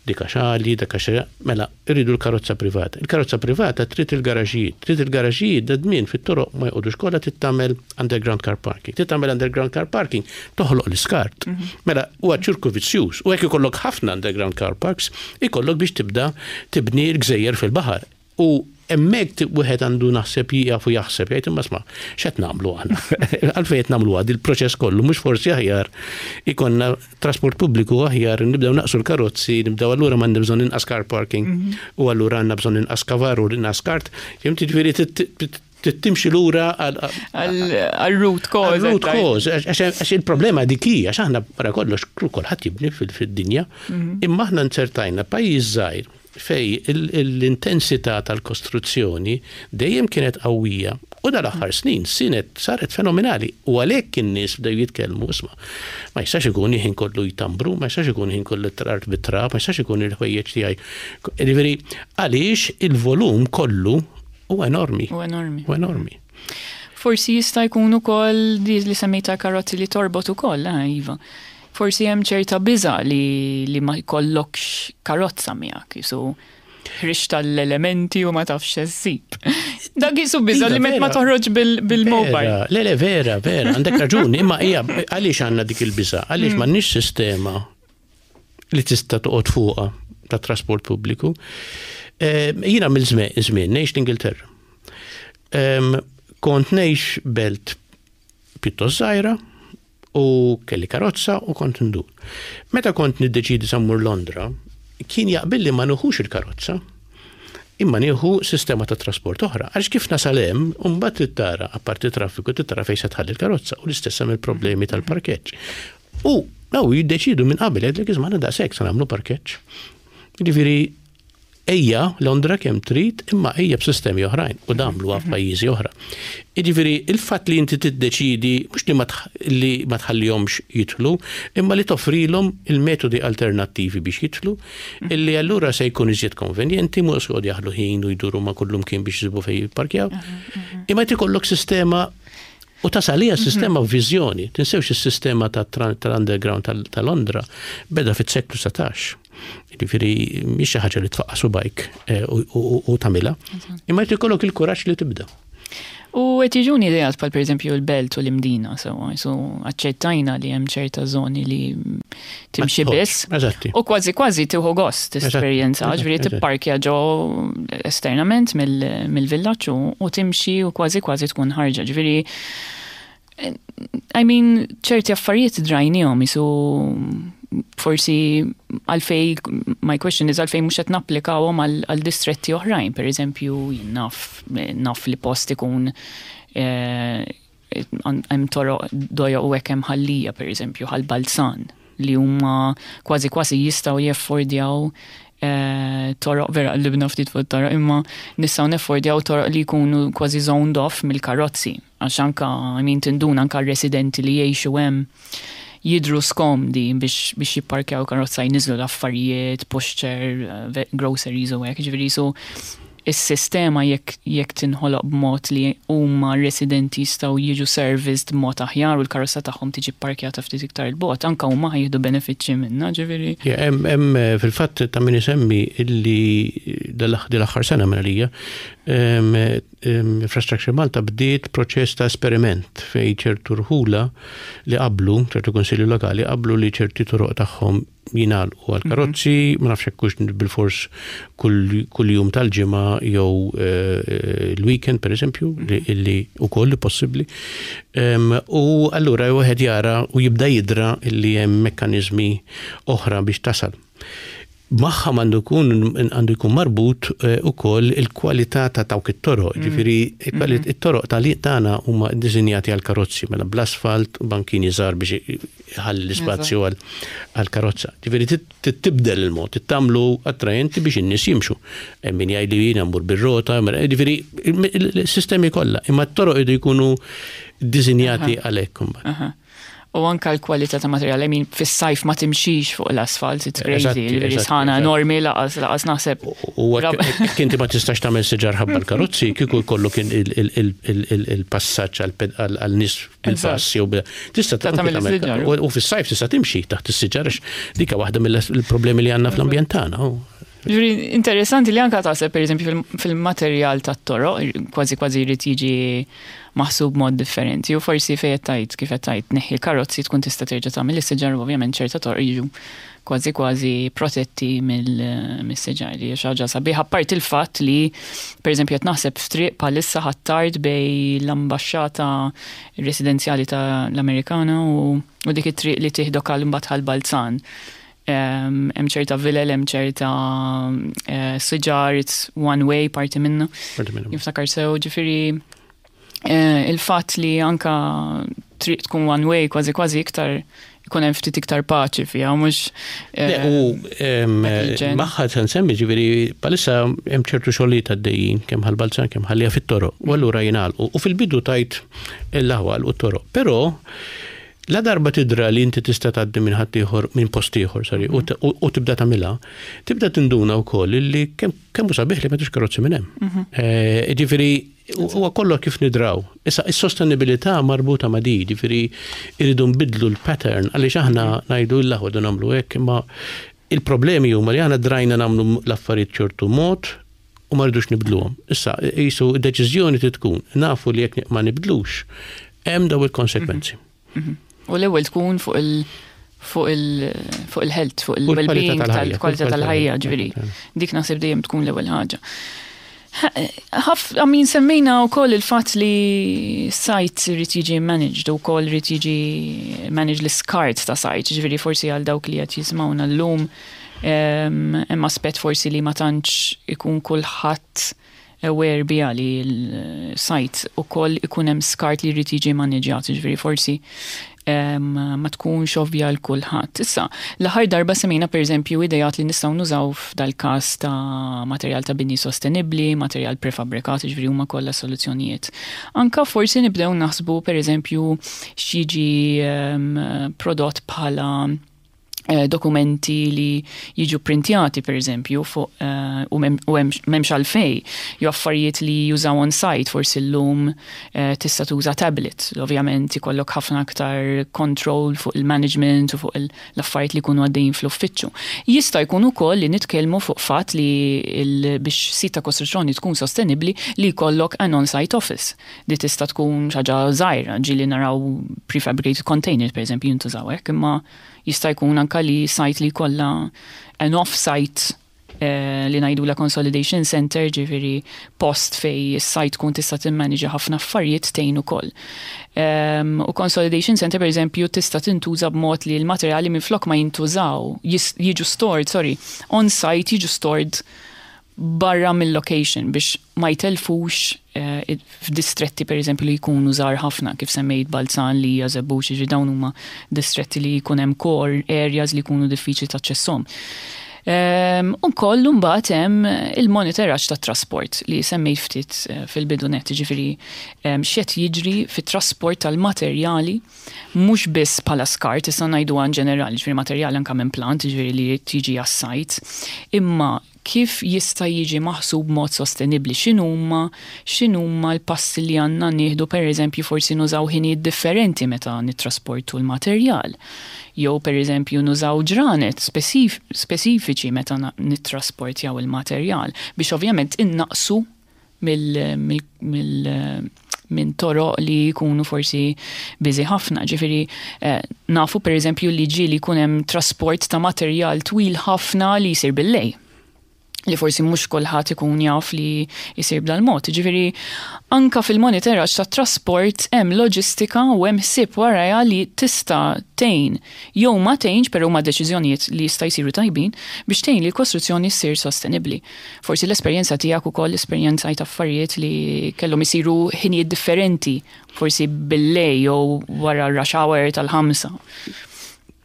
dik għax għali, dak għax mela irridu l-karozza privata. Il-karozza privata trid il-garaġijiet, trid il-garaġijiet da dmien fit-toroq ma jqogħdux kollha trid tagħmel underground car parking. Trid tagħmel underground car parking toħloq l-iskart. Mela huwa ċirku vizzjuż u hekk ikollok ħafna underground car parks ikollok biex tibda tibni l-gżejjer fil-baħar. U hemmhekk wieħed għandu naħseb jieqaf u jaħseb, jgħid imma isma' x'qed nagħmlu aħna? Għalfejn qed nagħmluha dil-proċess kollu, mhux forsi aħjar ikollna trasport pubbliku aħjar, nibdew naqsu l-karozzi, nibdew allura m'għandna bżonn inqas car parking mhm. u allura għandna bżonn inqas kavar u inqas kart. Fhimt jiġifieri trid timxi lura għal root cause. Root cause, għax il-problema dik hi, għax aħna wara kollox kulħadd jibni fid-dinja, mhm. imma aħna nzertajna pajjiż żgħir fejn l-intensità tal-kostruzzjoni dejjem kienet qawwija u dal-aħħar snin sinet saret fenomenali u għalhekk in-nies bdew jitkellmu isma' ma jistax ikun il-ħin kollu jtambru, ma jistax ikun il-ħin kollu l-art bit-trab, ma jistax ikun il-ħwejjeġ tiegħi. Jiġifieri għaliex il-volum kollu huwa enormi. Huwa enormi. Huwa enormi. Forsi jista' jkun ukoll di li semmejt tal-karozzi li torbot ukoll, eh, Iva. Forsi hemm ċerta biża' li li ma jkollokx karozza miegħek, jisu ħriġt tal-elementi u ma tafx se ssib. Dak jisu biża' li met ma toħroġ bil-mobile. Le, le, vera, vera, għandek raġun, imma hija għaliex għandna dik il-biża', għaliex mm. m'għandniex sistema li tista' toqgħod fuqha ta' trasport pubbliku. Eh, jiena mill-żmien ngħix l-Ingilterra. Kont ngħix belt pjuttost żgħira, u kelli karozza u kont ndur. Meta kont niddeċidi sa mmur Londra, kien jaqbilli ma nuħux il-karozza, imma nieħu sistema ta' trasport oħra. Għax kif nasal hemm, mbagħad trid tara, apparti traffiku, trid tara fejn se tħalli l-karozza u l-istess hemm il-problemi tal-parkeġġ. U daw jiddeċidu minn qabel jgħidlek isma' daqshekk se nagħmlu parkeġġ. Jiġifieri Ejja Londra kemm trid imma ejja b'sistemi oħrajn u dan għamluha f'pajjiżi oħra. Jiġifieri il-fatt li inti tiddeċiedi mhux li ma li ma tħallihomx jidħlu, imma li toffrilhom il-metodi alternattivi biex jidħlu, illi allura se jkun iżjed konvenjenti, mhux se joqogħdu jaħlu ħin u jduru ma' kullumkien biex isibu fejn jipparkjaw. Imma jrid ikollok sistema u tasal hija sistema b'viżjoni. Tinsewx is-sistema tal-underground ta' Londra beda fis-seklu 19. Jiġifieri mhix xi ħaġa li tfaqqa' subajk eh, u tagħmilha. Imma jrid ikollok il-kuraġġ li tibda. U qed jiġuni ideat bħal pereżempju l-belt u l-imdina sewwa, so aċċettajna li hemm ċerta żoni li timxi biss. Eżatti. U kważi kważi tieħu gost esperjenza, ġifieri tipparkja ġo esternament mill-villaġġ u timxi u kważi kważi tkun ħarġa. Ġifieri I mean, ċerti affarijiet drajnihom jisu Forsi għalfej, my question is għalfej mhux qed napplikawhom għal distretti oħrajn, per eżempju, jien naf, naf li post ikun hemm toroq dojoq u hekk hemm Ħal Lija, per eżempju, Ħal Balzan, li huma kważi kważi jistgħu jeffordjaw toroq, vera qlibna ftit fuq toroq, imma nistgħu neffordjaw toroq li jkunu kważi zoned off mill-karozzi, għax anka, I mean, tinduna anka residenti li jgħixu hemm jidru skomdi biex jipparkjaw karozza, jniżlu l-affarijiet, pushchair, groceries u hekk, ġifieri so is-sistema jekk tinħoloq b'mod li huma residenti jistgħu jiġu serviced b'mod aħjar u l-karozza tagħhom tiġi parkjata ftit iktar il-bogħod, anka huma ħa jieħdu benefiċċji minnha, ġifieri. Hemm fil-fatt ta' min isemmi illi dal-aħħar sena minn għalija Infrastructure Malta bdiet proċess ta' esperiment fej ċertu rħula li qablu, ċertu konsilju lokali qablu li ċerti toroq tagħhom jingħalqu għal karozzi, ma nafx hekk hux bilfors kull jum tal-ġimgħa jew l-weekend, per eżempju, li ukoll possibbli. U allura wieħed jara u jibda jidra li hemm mekkaniżmi oħra biex tasal. Magħha għandu jkun marbut ukoll il-kwalità ta' dawk it-toroq. Ġifieri it-toroq tagħna huma ddisinjati għal karozzi, mela bl-asfalt, bankini żgħar biex iħalli l-ispazju għal karozza. Ġifieri tibdel il-mod, tagħmlu attrajenti biex in-nies jimxu. Hemm min jgħid li jiena mmur bir-rota, mela, ġifieri il-sistemi kollha, imma t-toroq idu jkunu ddisinjati għalhekk imbagħad. U anka l-kwalità ta' materjal, I mean, fis-sajf ma timxix fuq l-asfalt, it's crazy, ġifieri sħana enormi, laqas naħseb. U jekk inti ma tistax tagħmel siġar ħabba l-karozzi, kieku jkollu kien il-passaġġ għal nies bil-pass jew tista' tagħmel tagħmel is-siġar. U fis-sajf tista' timxi taħt is-siġar, għax dika waħda mill-problemi li għandna fl-ambjent tagħna. Ġifieri, interessanti li anka taħseb, per eżempju, fil-materjal tat-toroq, kważi kważi jrid jiġi maħsub mod differenti. U forsi fejn qed tgħid, kif qed tgħid, neħħi l-karozzi, tkun tista' terġa' tagħmel is-siġar u ovvjament ċerta toroq jiġu kważi kważi protetti mill-siġar, li hija xi ħaġa sabiħa. Apart il-fatt li, per eżempju, qed naħseb f'triq bħalissa Ħ'Attard bej l-ambaxxata residenzjali tal-Amerikana u dik it-triq li tieħdok għal imbagħad Ħal Balzan. Hemm ċerta vilel, hemm ċerta siġar, it's one way parti minna. Parti minna. Niftakar sew, ġifieri il-fatt li anka triq tkun one way kważi kważi iktar ikun hemm ftit iktar paċi fiha, mhux Le, u dak il-ġen. Magħha se nsemmi, ġifieri bħalissa hemm ċertu xogħlijiet għaddejjin kemm Ħal Balzan, kemm Ħal Lija fit-toroq, u allura jingħalqu. U fil-bidu tajt l-aħwal u t-toroq. Però la darba tidra li inti tista' tgħaddi minn ħaddieħor, minn post ieħor, sorry, u tibda tagħmilha, tibda tinduna wkoll li kemm hu sabiħ li m'għandux karozzi minn hemm. Ġifieri huwa kollu kif nidraw. Issa is-sostenibilità marbuta ma' di, ġifieri irridu nbidlu l-pattern għaliex aħna ngħidu l-aħwa nagħmlu hekk, imma il-problemi huma li aħna drajna nagħmlu l-affarijiet ċertu mod u ma rridux nibdluhom. Issa qisu deċiżjoni trid tkun nafu li jekk ma nibdlux hemm daw il-konsekwenzi. U l-ewwel tkun fuq il-health, fuq il-well-being, tal-ħajja, tal-kwalità fuq tal-ħajja, il-kwalità ġifieri. tal-ħajja. Dik naħseb dejjem tkun l-ewwel ħaġa. Ħaf, I mean, semmejna wkoll il-fatt li site irid jiġi managed u wkoll irid jiġi managed l-iskart ta' site, ġifieri forsi għal dawk li qed jisimgħuna llum hemm aspett forsi li ma tantx ikun kulħadd aware bija li l-site ukoll ikun hemm skart li jrid jiġi maniġjat, ġifieri forsi ma tkunx ovvja l kulħadd. Issa, l-aħħar darba semmejna, per eżempju, idejat li nistgħu nużaw f'dal-każ ta' materjal ta' bini sostenibbli, materjal prefabbrikat, ġifieri huma kollha soluzzjonijiet. Anka forsi nibdew naħsbu, per eżempju, x'jiġi prodott bħala dokumenti li jiġu printjati, per eżempju, fuq u m'hemmx għalfej, jew affarijiet li jużaw on site, forsi llum tista' tuża tablet. Ovvjament ikollok ħafna aktar control fuq il-management u fuq l-affarijiet li jkunu għaddejjin fl-uffiċċju. Jista' jkun ukoll li nitkellmu fuq fatt li biex sit ta' kostruzzjoni tkun sostenibbli li jkollok an on-site office. Di tista' tkun xi ħaġa żgħira, ġieli naraw prefabricated containers, per eżempju, jintużaw hekk, imma jista' jkun anka li site li jkollha an off-site. li ngħidula consolidation center, ġifieri post fej is-site tkun tista' timmaniġa ħafna affarijiet tgħin ukoll. U consolidation center pereżempju tista' tintuża b'mod li l-materjali minflok ma jintużaw, jiġu stored, sorry, on site jiġu stored barra mill-location biex ma jtelfux f'distretti pereżempju li jkunu żgħar ħafna kif semmejt Balzan li hija Żebbuġ, jiġifieri dawn huma distretti li jkun hemm core areas li jkunu diffiċli taċċesshom. Ukoll imbagħad hemm il-monitoraġġ tat-trasport li semmejt ftit fil-bidu nett, jiġifieri x'qed jiġri fit-trasport tal-materjali mhux biss bħala skart, issa ngħiduha in ġenerali, jiġifieri materjali anke minn plant, jiġifieri li jiġi għas-sajt, imma kif jista' jiġi maħsub b'mod sostenibbli, x'inhuma x'inhuma l-passi li għandna nieħdu pereżempju forsi nużaw ħinijiet differenti meta nittrasportu l-materjal, jew pereżempju nużaw ġranet speċifiċi meta nittrasportjaw il-materjal biex ovvjament innaqsu mill minn toroq li jkunu forsi busy ħafna. Ġifieri nafu pereżempju li ġieli jkun hemm trasport ta' materjal twil ħafna li jsir bil-lejl li forsi mhux kulħadd ikun jaf li jsir b'dal-mod. Ġifieri anka fil-monitoraġġ tat-trasport hemm loġistika u hemm ħsieb warajha li tista' tgħin jew ma tgħinx, però huma deċiżjonijiet li jista' jsiru tajbin biex tgħin li l-kostruzzjoni ssir sostenibbli. Forsi l-esperjenza tiegħek ukoll esperjenzajt affarijiet li kellhom isiru ħinijiet differenti, forsi bil-lejl jew wara r-rush hour tal-5.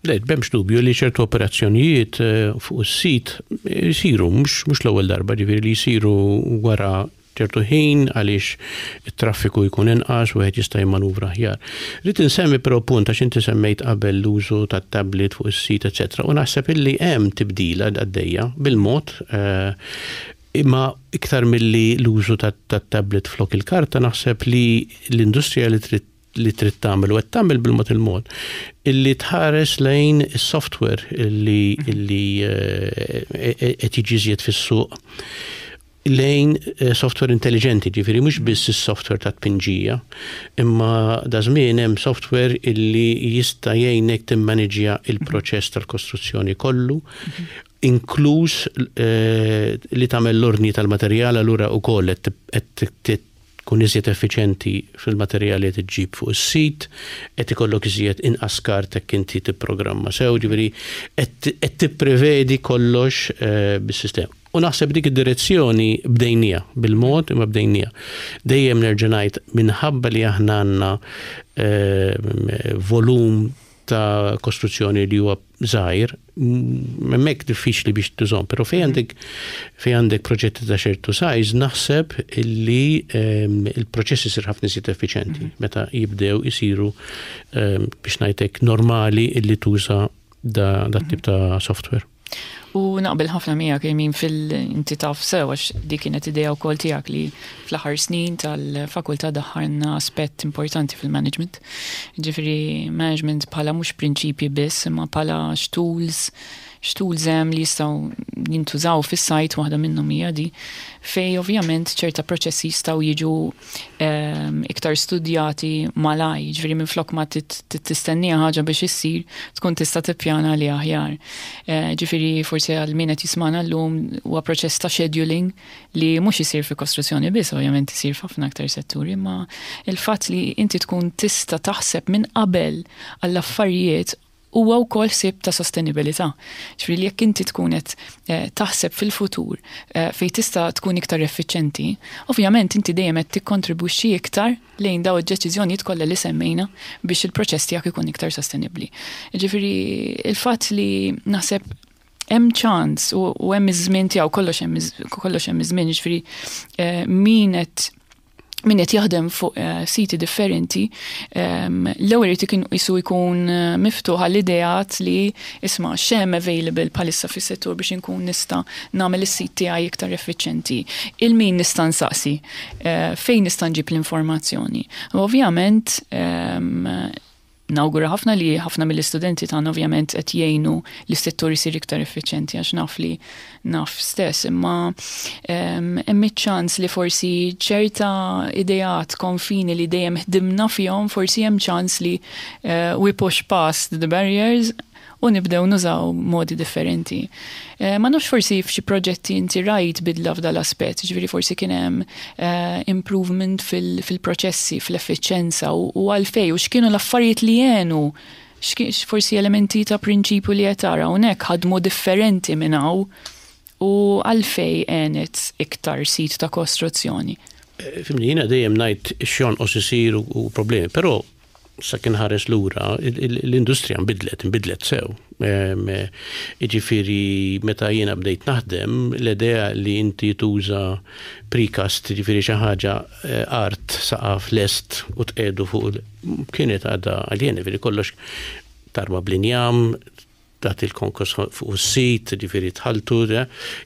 Le, b'hemmx dubju li ċertu operazzjonijiet fuq is-sit jsiru, mhux l-ewwel darba, ġifieri li jsiru wara ċertu ħin għaliex it-traffiku jkun inqas u wieħed jista' jimmanuvra aħjar. Rrid insemmi però punt għax inti semmejt qabel l-użu tat-tablet fuq is-sit, eċetera, u naħseb illi hemm tibdila għaddejja bil-mod imma iktar milli l-użu tat-tablet flok il-karta naħseb li l-industrija li trid li trid tagħmel u qed tagħmel bil-mod il-mod illi tħares lejn is-software illi illi qed jiġi iżjed fis-suq lejn software intelligenti, ġifieri mhux biss is-software ta' tpinġija, imma da żmien hemm software illi jista' jgħinek timmaniġja il-proċess tal-kostruzzjoni kollu, inkluż li tagħmel l-ordni tal-materjal allura wkoll qed tkun iżjed effiċjenti fil-materjali li ġġib fuq is-sit, qed ikollok iżjed inqas skart jekk inti tipprogramma sew, ġifieri qed tipprevedi kollox bis-sistema. U naħseb dik id-direzzjoni bdejnija, bil-mod imma bdejnija. Dejjem nerġa' ngħid minħabba li aħna għandna volum ta' kostruzzjoni li huwa żgħir, hemmhekk diffiċli biex tużhom, però fejn għandek fejn għandek proġetti ta' ċertu size naħseb illi il-proċess isir ħafna iżjed effiċjenti meta jibdew isiru biex ngħidlek normali illi tuża da tip ta' software. U naqbel ħafna miegħek min fil-inti taf sew għax dik kienet idea wkoll tiegħek li fl-aħħar snin tal-fakultà daħħalna aspett importanti fil-management. Ġifieri management bħala mhux prinċipji biss, imma bħala x'tools x'tools hemm li jistgħu jintużaw fis-sajt waħda minnhom hija di fej ovvjament ċerta proċessi jistgħu jiġu iktar studjati malaj, ġifieri minflok ma tistennija ħaġa biex issir, tkun tista' tippjana li aħjar. Ġifieri forsi għal min qed jismana llum huwa proċess ta' scheduling li mhux isir fi kostruzzjoni biss, ovvjament isir f'ħafna aktar setturi, imma il-fatt li inti tkun tista' taħseb minn qabel għall-affarijiet huwa wkoll ħsieb ta' sostenibilità. Ġifieri li jekk inti tkun qed taħseb fil-futur fejn tista' tkun iktar effiċjenti, ovvjament inti dejjem qed tikkontribwixxi iktar lejn daw id-deċiżjonijiet kollha li semmejna biex il-proċess tiegħek ikun iktar sostenibbli. Ġifieri il-fatt li naħseb hemm ċans u hemm iż-żmien tiegħu kollox hemm iż-żmien, ġifieri min qed min qed jaħdem fuq siti differenti, l-ewwel irid ikun isu jkun miftuħ għall-ideat li isma' x'hemm available bħalissa fis-settur biex inkun nista' nagħmel is-sit tiegħi iktar effiċjenti. Il-min nista' nsaqsi, fejn nista' nġib l-informazzjoni. U ovvjament nawgura ħafna li ħafna mill-istudenti tagħna ovvjament qed jgħinu li s-settur isir iktar effiċjenti għax naf li naf stess, imma hemm iċ-ċans li forsi ċerta ideat konfini li dejjem ħdimna fihom, forsi hemm ċans li we push past the barriers. u nibdew nużaw modi differenti. Eh, ma nafx forsi f'xi proġetti inti rajt bidla f'dal-aspett, ġifieri forsi kien hemm eh, improvement fil-proċessi, fl-effiċenza u għalfej u x'kienu l-affarijiet li għenu forsi elementi ta' prinċipju li qed tara hawnhekk ħadmu differenti minn hawn u għalfej għenet iktar sit ta' kostruzzjoni. Eh, fimni, jiena dejjem ngħid x'jonqos isir u problemi, però sa kien ħares lura, l-industrija nbidlet, nbidlet sew. Jiġifieri meta jiena bdejt naħdem, l-idea li inti tuża precast, jiġifieri xi ħaġa eh, art saqaf lest u tqiegħdu fuq kienet għadha għaljeni, jiġifieri kollox tarma bl-injam, tagħti l-konkos fuq is-sit, ġifieri tħalltu,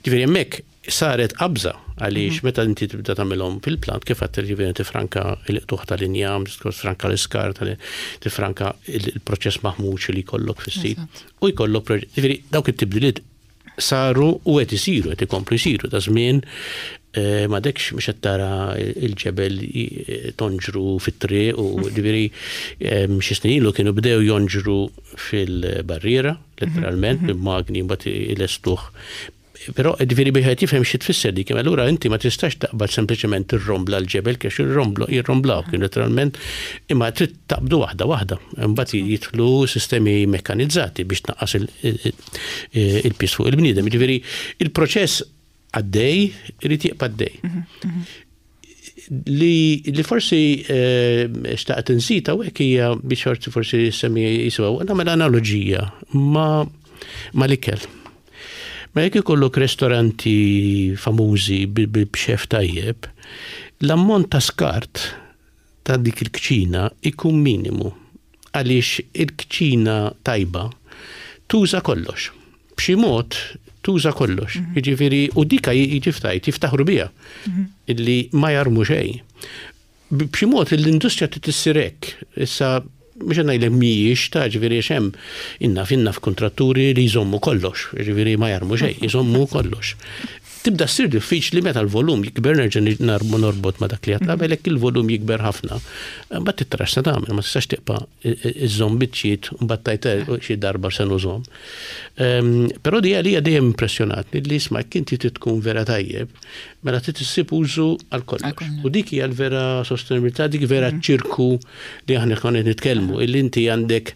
ġifieri hemmhekk saret qabża għaliex mhm. meta inti tibda tagħmilhom fil-plant kif għad ġifieri tifranka l-qtuħ tal-injam, tifranka l-iskar, tifranka il-proċess maħmuġ li jkollok fis-sit. U jkollok ġifieri dawk it-tibdiliet saru u qed isiru, qed ikomplu jsiru ta' żmien eh, ma dekx mhux qed tara il-ġebel eh, tonġru fit-triq u ġifieri eh, xi snin ilu kienu bdew jonġru fil-barriera, letteralment, mhm. bil-magni mbagħad ilestuh. Però ġifieri biex qed jifhem xi tfisser dik, allura inti ma tistax taqbad sempliċement tirrombla l-ġebel kiex jirromblaw kien letteralment imma trid taqbdu waħda waħda. Imbagħad jidħlu sistemi mekkanizzati biex tnaqqas il-piż fuq il-bniedem. Ġifieri il-proċess għaddej irid jibqa' għaddej. Mhm, mhm. Li, li forsi eh, xtaqt nżid hawnhekk hija biex forsi forsi semmi jiswa nagħmel analoġija ma ma l-ikel. Ma jekk ikollok restoranti famużi b'xef tajjeb, l-ammont ta' skart ta' dik il-kċina ikun minimu għaliex il-kċina tajba tuża kollox. B'xi mod tuża kollox. Mhm. Jiġifieri u dika jiġi jiftaħru biha mhm. illi ma jarmu xejn. B'xi mod l-industrija trid issir hekk. Issa mhux qed ngħidlek mhijiex ta' ġifieri għax hemm inna finna f'kuntratturi li jżommu kollox, ġifieri ma jarmu xejn, jżommu kollox. Tibda ssir diffiċli meta l-volum jikber nerġa' narmu norbot ma' dak li għedt qabel jekk il-volum jikber ħafna. Mbagħad trid tara x'se tagħmel, ma tistax tibqa' iżżomm biċċiet u mbagħad tgħid eh, xi darba se nużhom. Ehm, però di għalija dejjem impressjonatni li isma' jekk inti trid tkun vera tajjeb, mela trid issib użu għal kollox. U dik hija l-vera sostenibilità, dik vera mhm. ċirku li aħna konna nitkellmu, illi inti għandek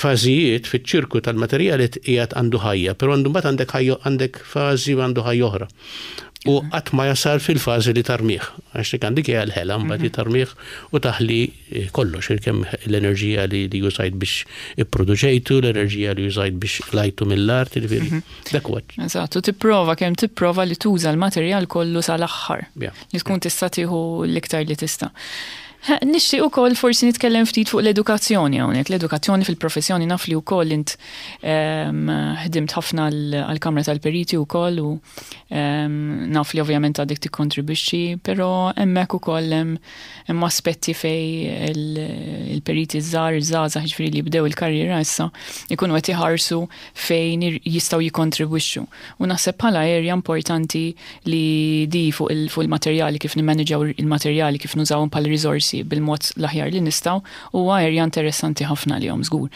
fażijiet fiċ-ċirku tal-materjali qiegħed għandu ħajja, però għandu mbagħad għandek ħajja għandek fażi u għandu ħajja oħra. U mhm. qatt ma jasal fil-fażi li tarmih, għax dik għandek hija l-ħela mbagħad mhm. tarmih u taħli eh, kollox, kemm l-enerġija li, li użajt biex ipproduċejtu, l-enerġija li użajt biex lajtu mill-art, jiġifieri mhm. dak huwa. Eżatt, u tipprova kemm tipprova li tuża l-materjal kollu sal-aħħar. Li tkun tista' tieħu l-iktar li tista'. Nixtieq ukoll forsi nitkellem ftit fuq l-edukazzjoni hawnhekk. L-edukazzjoni fil-professjoni naf li wkoll int ehm, ħdimt ħafna għall-Kamra tal-Periti wkoll u ehm, naf li ovvjament għadek tikkontribwixxi, però hemmhekk ukoll hemm aspetti fej il-periti żgħar, iż-żgħażagħ jiġifieri li jibdew il-karriera issa ikunu qed iħarsu fejn jistgħu jikkontribwixxu. U naħseb bħala area importanti li di fuq il-materjali kif nimmaniġaw il-materjali kif nużawhom bħala riżorsi bil-mod l-aħjar li nistgħu huwa area interessanti ħafna lihom żgur.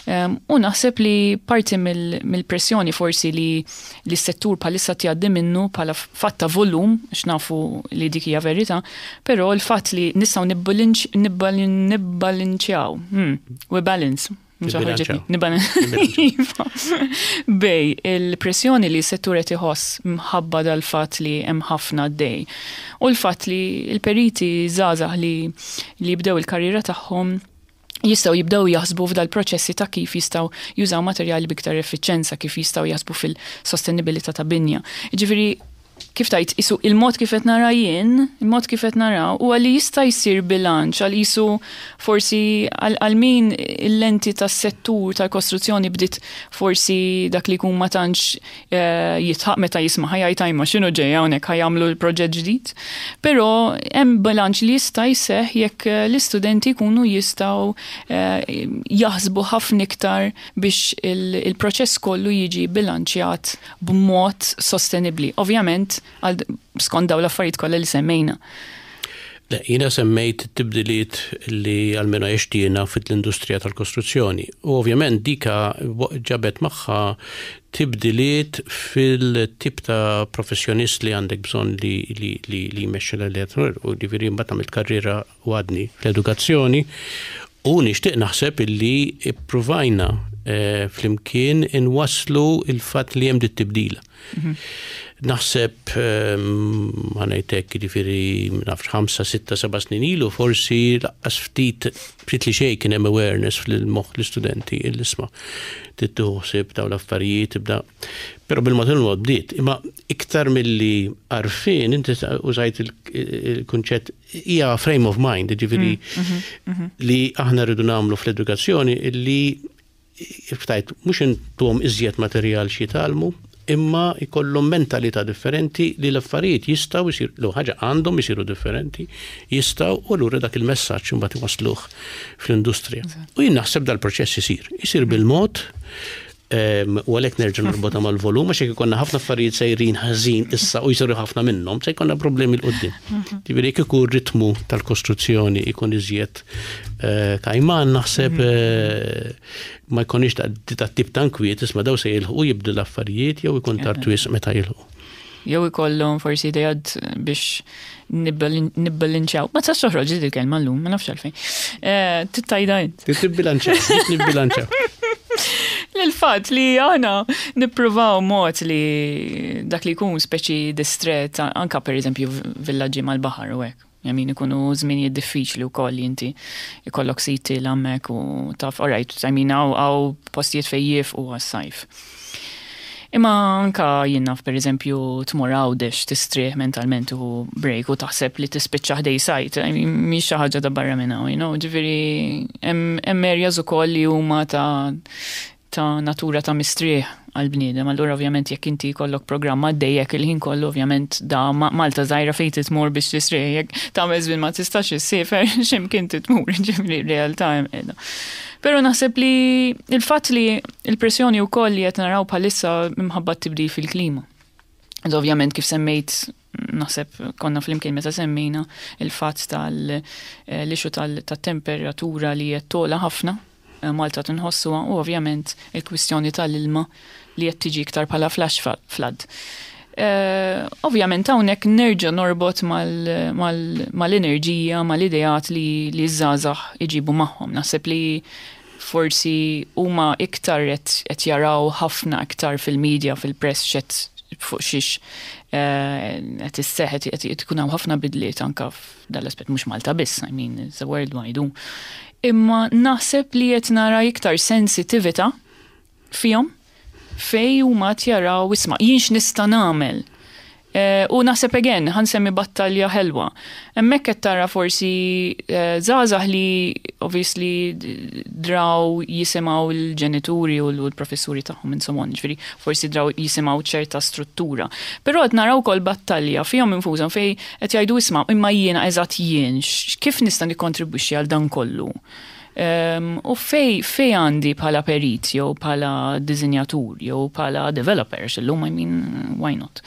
Ehm, u naħseb li parti mill-pressjoni forsi li li s-settur bħalissa tjaddi minnu bħala fatt ta' volum, x'nafu li dik hija verità, però l-fatt li nistgħu nibbalinċjaw, hmm, we balance, Iva. Bej, il-pressjoni li s-settur qed iħoss mħabba dal-fatt li hemm ħafna dej. U l-fatt li l-periti żgħażagħ li li jibdew il-karriera tagħhom jistgħu jibdew jaħsbu f'dal-proċessi ta' kif jistgħu jużaw materjali b'iktar effiċenza, kif jistgħu jaħsbu fil-sostenibilità ta' binja. Jiġifieri kif tajt, isu il-mod kif qed nara jien, il-mod kif qed nara, huwa li jista' jsir bilanċ għal isu forsi għal min il-lenti tas-settur tal-kostruzzjoni bdiet forsi dak li jkun ma tantx eh, jitħaq meta jisma' ħajajt ajma x'inhu ġej hawnhekk ħajamlu l-proġett ġdid. Però hemm bilanċ li jista' jseħħ jekk eh, l-istudenti jkunu jistgħu eh, jaħsbu ħafna iktar biex il-proċess kollu jiġi bilanċjat b'mod sostenibbli. Ovvjament, skont dawn l-affarijiet kollha li semmejna. Le, jiena semmejt it-tibdiliet li almenu għext jiena fil-industrija tal-kostruzzjoni. U ovvjament dika ġabet magħha tibdiliet fil-tip ta' professjonist li għandek bżonn li li li li jmexxi l-elettor u ġifieri mbagħad għamilt karriera u għadni fl-edukazzjoni u nixtieq naħseb illi ippruvajna eh, flimkien inwasslu il-fatt li hemm dit-tibdila. Naħseb ma ngħidlek jiġifieri nafx 5, 6, 7 snin ilu forsi laqqas ftit ftit li xejn kien hemm awareness fil-moħħ l-istudenti il-isma' trid tieħu ħsieb dawn l-affarijiet tibda. Però bil-mod il-mod bdiet. Imma iktar milli għarfien inti użajt il-kunċett hija frame of mind, jiġifieri li aħna rridu nagħmlu fl-edukazzjoni illi ftajt, mhux intuhom iżjed materjal xi jitgħallmu, imma jkollhom mentalità differenti li l-affarijiet jistgħu jsiru, l ħaġa għandhom isiru differenti, jistgħu u allura dak il-messaġġ imbagħad iwassluh fl-industrija. U jien naħseb dal-proċess isir, isir bil-mod, u għalhekk nerġa' norbotha mal-volum għax jekk ikollna ħafna affarijiet sejrin ħażin issa u jsiru ħafna minnhom, se jkollna problemi 'l quddiem. Ġifieri jekk ikun ritmu tal-kostruzzjoni ikun iżjed eh, kajman naħseb mhm. eh, ma jkunix ta' tip ta' nkwiet isma' daw se jilħqu jibdu l-affarijiet jew ikun tard wisq meta jilħqu. Jew ikollhom forsi idejat biex nibbilanċjaw. Ma tistax toħroġ dik il-kelma llum, ma nafx għalfejn. Eh, tittajda int. Tibbilanċjaw, nibbilanċjaw. L-fatt li aħna nippruvaw mod li dak li jkun speċi distret anka per eżempju villaġġi mal-baħar u hekk. I mean ikunu żminijiet diffiċli wkoll li inti ikollok siti l-hemmhekk u taf, all right, I mean hawn postijiet fejn jifqu għas-sajf. Imma anka jien naf per eżempju tmur Għawdex tistrieħ mentalment u break u taħseb li tispiċċa ħdej sajt, I mean, mhix xi ħaġa ta' barra minn hawn, you know, ġifieri hemm areas ukoll li huma ta' ta' natura ta' mistrieħ għall-bniedem. Allura ovvjament jekk inti jkollok programm għaddejjek il-ħin kollu ovvjament da Malta żgħira fejn titmur biex tistrieħ jekk tagħmel żmien ma tistax issiefer x'imkien titmur, ġifieri realtà hemm qiegħda. Però naħseb li il-fatt li l-pressjoni wkoll li qed naraw bħalissa minħabba t-tibdil fil-klima. Ovvjament kif semmejt naħseb konna flimkien meta semmejna il-fatt tal-issue tat-temperatura li qed togħla ħafna Malta tinħossuha u ovvjament il-kwistjoni tal-ilma li qed tiġi iktar bħala flash flood. Ovvjament hawnhekk nerġa' norbot mal-enerġija, mal-ideat li ż-żgħażagħ iġibu magħhom. Naħseb li forsi huma iktar qed jaraw ħafna iktar fil-media, fil-press x'qed fuq xiex qed isseħħ qed ikun hawn ħafna bidliet anka f'dal-aspett mhux Malta biss, I mean it's a worldwide. Imma naħseb li qed nara iktar sensitività fihom fej huma qed jaraw isma' jien x'nista' nagħmel. U naħseb again, ħa nsemmi battalja ħelwa. Hemmhekk qed tara forsi żgħażagħ li obviously draw jisimgħu l-ġenituri u l-professuri tagħhom and so on, ġifieri forsi draw jisimgħu ċerta struttura. Però qed naraw ukoll battalja fihom infushom fej qed jgħidu isma' imma jiena eżatt jien kif nista' nikkontribwixxi għal dan kollu. U fej fej għandi bħala perit jew bħala dizinjatur jew bħala developer, illum I mean, why not?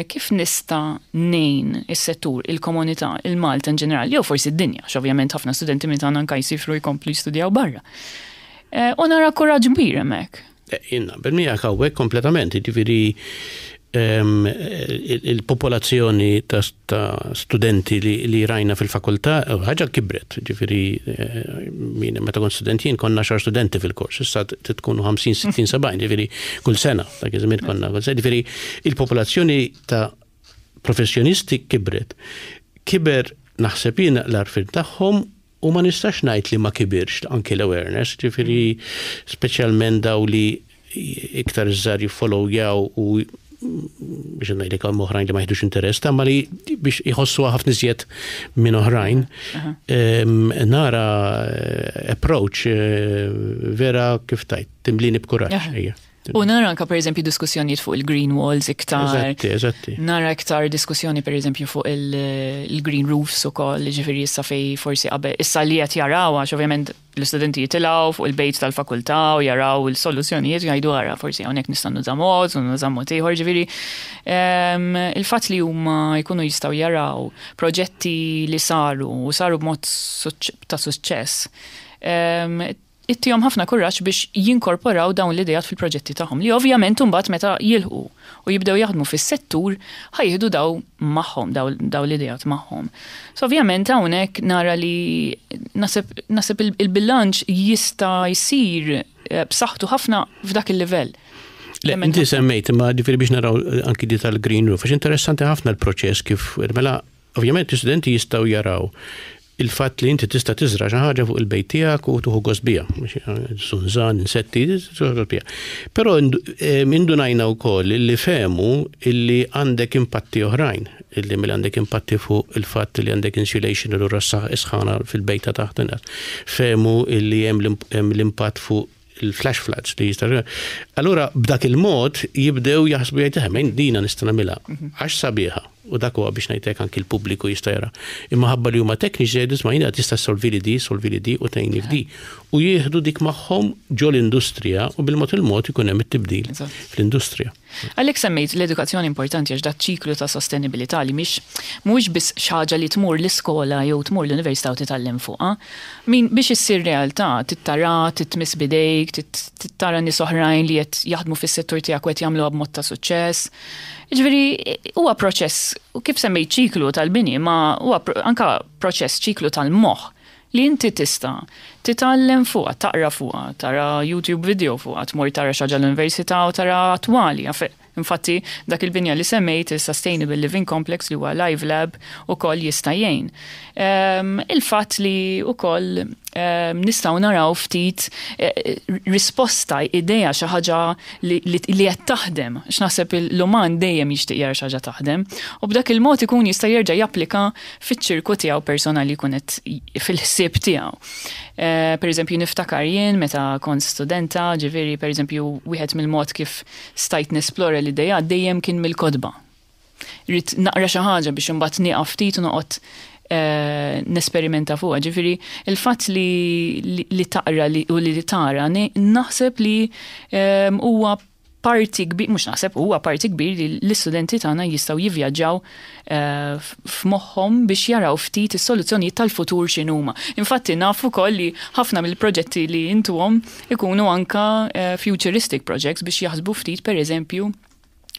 Kif nista' ngħin is-settur, il-komunità, il-Malta in ġenerali, jew forsi d-dinja, ovvjament ħafna studenti minn tagħna anka jsifru jkomplu jistudjaw barra. U nara kuraġġ kbir hemmhekk. Jien naqbel miegħek hawnhekk kompletament, jiġifieri il-popolazzjoni ta' studenti li rajna fil-fakultà ħaġa kibret, ġifieri min meta kont student jien konna xar studenti fil-kors, issa tkunu 50, 60, 70, ġifieri kull sena, dak iż-żmien konna kull sena, ġifieri il-popolazzjoni ta' professjonisti kibret. Kiber naħseb jien l-għarfien tagħhom u ma nistax ngħid li ma kibirx anki l-awareness, ġifieri speċjalment daw li iktar iż-żgħar jiffollowjaw u biex ngħidlek hemm oħrajn li ma jieħdux interess, ta' ma li biex jħossu ħafna iżjed minn oħrajn. Nara approach vera kif tajt, timlini b'kuraġġ. U nara anka per eżempju diskussjonijiet fuq il-green walls iktar. Eżatti, eżatti. Nara iktar diskussjoni per eżempju fuq il-green roofs ukoll, ġifieri issa fej forsi qabel issa li qed jaraw għax ovvjament l-istudenti jitilgħu fuq il-bejt tal-fakultà u jaraw il-soluzzjonijiet jgħidu ara forsi hawnhekk nista' nuża mod u nuża mod ieħor, ġifieri il-fatt li huma jkunu jistgħu jaraw proġetti li saru u saru b'mod ta' suċċess ittihom ħafna kuraġġ biex jinkorporaw dawn l-ideat fil-proġetti tagħhom li ovvjament imbagħad meta jilħqu u jibdew jaħdmu fis-settur ħa jieħdu daw magħhom daw l-ideat magħhom. So ovvjament hawnhekk nara li naħseb naħseb il-bilanċ jista' jsir eh, b'saħħtu ħafna f'dak il-livell. Le, inti semmejt imma ġifieri biex naraw eh, anki di tal-green roof, għax interessanti ħafna l-proċess kif mela Ovvjament l-istudenti jistgħu jaraw il-fatt li inti tista' tiżra' xi ħaġa fuq il-bejt tiegħek u tuħu gost biha, sunżan, insetti, tuħu gost biha. Però indunajna wkoll li fehmu illi għandek impatti oħrajn, illi mela għandek impatti fuq il-fatt li għandek insulation u lura s-sħana fil-bejt ta' taħt inqas. Fehmu illi hemm l-impatt fuq il-flash floods li jista' Allura b'dak il-mod jibdew jaħsbu jgħid eh, mejn dina nista' nagħmilha mhm. għax sabiħa u dak huwa biex ngħidlek anki l-pubbliku jista' jara. Imma ħabba li huma tekniċi jgħidu isma' jiena tista' solvi li di, solvi li di u tgħinni f'di. U jieħdu dik magħhom ġol-industrija u bil-mod il-mod ikun hemm it-tibdil fl-industrija. Għalhekk semmejt l-edukazzjoni importanti għax daċ-ċiklu ta' sostenibilità li mhix mhuwiex biss xi ħaġa li tmur l-iskola jew tmur l-università u titgħallem fuqha. Min biex issir realtà trid tara, trid tmiss b'idejk, trid tara nies oħrajn li qed jaħdmu fis-settur tiegħek u qed jagħmluha b'mod ta' suċċess. Jiġifieri huwa proċess, kif semmejt ċiklu tal-bini, ma huwa anke proċess ċiklu tal-moħħ li inti tista' titgħallem fuqha, taqra fuqha, tara YouTube video fuqha, tmur tara xi ħaġa l-università u tara attwali. Infatti, dak il-binja li semmejt, il-Sustainable Living Complex li huwa Live Lab, ukoll jista' jgħin. Ehm, il-fatt li ukoll ehm, nistgħu naraw ftit eh, risposta, idea xi ħaġa li qed taħdem, x'naħseb l-uman dejjem jixtieq jara xi ħaġa taħdem, u b'dak il-mod ikun jista' jerġa' japplika fiċ-ċirku tiegħu personali jkun qed fil-ħsieb tiegħu. Eh, per eżempju, niftakar jien meta kont studenta, ġifieri per eżempju wieħed mill-mod kif stajt nesplora l-idea dejjem kien mill-kotba. Rrid naqra xi ħaġa biex imbagħad nieqaf ftit u noqgħod eh, nesperimenta fuqha. Ġifieri il-fatt li, li taqra u li tara naħseb li eh, huwa parti kbir, mhux naħseb huwa parti kbir li l-istudenti tagħna jistgħu jivvjaġġaw eh, f'moħħhom biex jaraw ftit is-soluzzjonijiet tal-futur x'inhuma. Infatti naf ukoll li ħafna mill-proġetti li intuhom ikunu anka eh, futuristic projects biex jaħsbu ftit pereżempju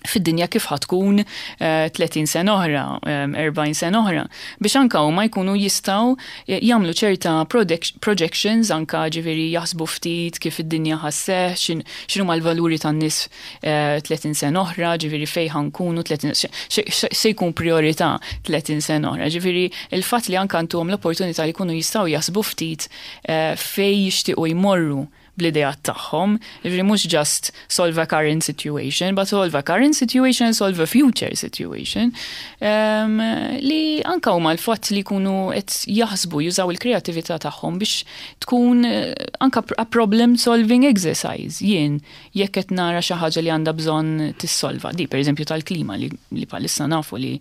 fid-dinja kif ħatkun 30 eh, sena oħra, 40 eh, sena oħra, biex anka huma jkunu jistgħu eh, jagħmlu ċerta projections anka ġifieri jaħsbu ftit kif id-dinja ħasseħ, x'inhuma l-valuri tan-nies 30 sena oħra, ġifieri fejn ħankunu 30 se jkun priorità 30 sena oħra. Ġifieri il-fatt li anka ntuhom l-opportunità li jkunu jistgħu jaħsbu ftit fejn jixtiequ jmorru bl-ideat tagħhom, jiġifieri mhux just solve a current situation, but solve a current situation and solve a future situation. Um, li anka huma l-fatt li jkunu qed jaħsbu jużaw il-kreatività tagħhom biex tkun eh, anka a problem solving exercise. Jien jekk qed nara xi ħaġa li għandha bżonn tissolva. Di pereżempju tal-klima li, li bħalissa nafu li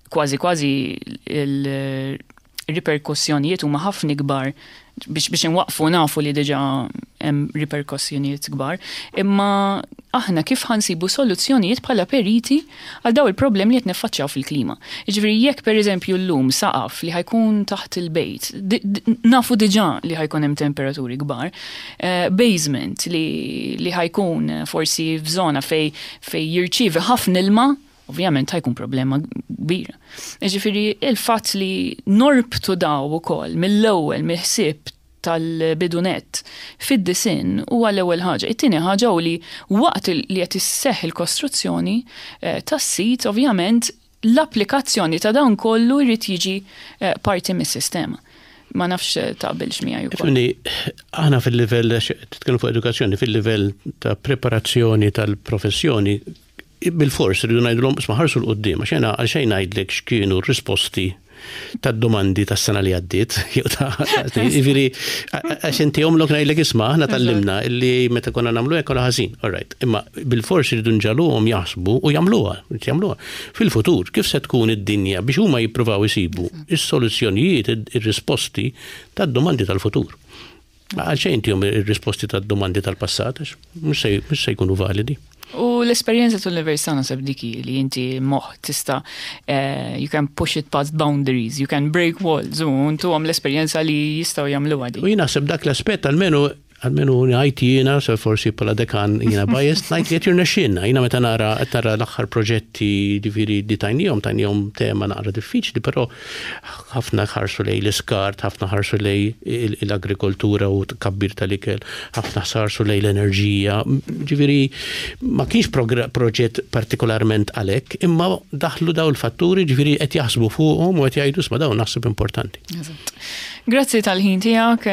kważi kważi il riperkussjonijiet huma ħafna ikbar biex biex inwaqfu nafu li diġà hemm riperkussjonijiet kbar, imma aħna kif ħansibu soluzzjonijiet bħala periti għal daw il-problemi li qed niffaċċjaw fil-klima. Jiġifieri jekk pereżempju llum saqaf li ħajkun taħt il-bejt, nafu diġà li ħajkun hemm temperaturi kbar, eh, basement li, li ħajkun forsi f'żona fej fej jirċievi ħafna ilma, ovvjament ħajkun problema kbira. Ġifieri il-fatt li norbtu daw ukoll mill-ewwel mill-ħsieb tal-bidunet fid-disinn huwa l-ewwel ħaġa. It-tieni ħaġa hu li waqt li qed isseħħ il-kostruzzjoni eh, tas-sit ovvjament l-applikazzjoni ta' dan kollu jrid jiġi eh, parti mis-sistema. Ma nafx eh, taqbilx miegħi ukoll. Aħna fil-livell titkellmu fuq edukazzjoni, fil-livell ta' preparazzjoni tal-professjoni bilfors rridu ngħidulhom isma' ħarsu 'l quddiem għax jiena għalxejn ngħidlek x'kienu r-risposti. tad-domandi tas-sena li għaddiet, jew ta' jiġifieri għax inti omlok ngħidlek isma' aħna tgħallimna illi meta konna nagħmlu hekk konna ħażin. All right. Imma bilfors iridu nġagħluhom jaħsbu u jagħmluha, jagħmluha. Fil-futur kif se tkun id-dinja biex huma jippruvaw isibu is-soluzzjonijiet, ir-risposti tad-domandi tal-futur. Għalxejn intihom ir-risposti tad-domandi tal-passat, għax mhux se jkunu validi. U l-esperjenza tal-università naħseb dik hi li inti moħħ tista' eh, you can push it past boundaries, you can break walls, u ntuhom l-esperjenza li jistgħu jagħmluha di. U jien naħseb dak l-aspett almenu almenu ngħid jiena, se forsi bħala dekan jiena biased, ngħid li qed jirnexxielna. Jiena meta nara qed nara l-aħħar proġetti ġifieri li tajniehom, tajniehom tema naqra diffiċli, però ħafna ħarsu lejn l-iskart, ħafna ħarsu lejn l-agrikoltura u tkabbir tal-ikel, ħafna ħarsu lejn l-enerġija. Ġifieri ma kienx proġett partikolarment għalhekk, imma daħlu daw il-fatturi ġifieri qed jaħsbu fuqhom u qed jgħidu isma' dawn naħseb importanti. Grazzi tal-ħin tiegħek,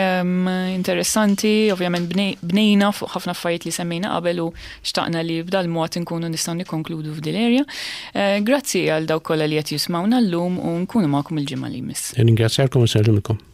interessanti, ovvjament bnejna fuq ħafna affarijiet li semmejna qabel u xtaqna li b'dal-mod inkunu nistgħu nikkonkludu f'dil area. Eh, grazzi għal dawk kollha li qed jismawna llum u nkunu magħkom il-ġimgħa li jmiss. Ringrazzjakom u nsellmilkom.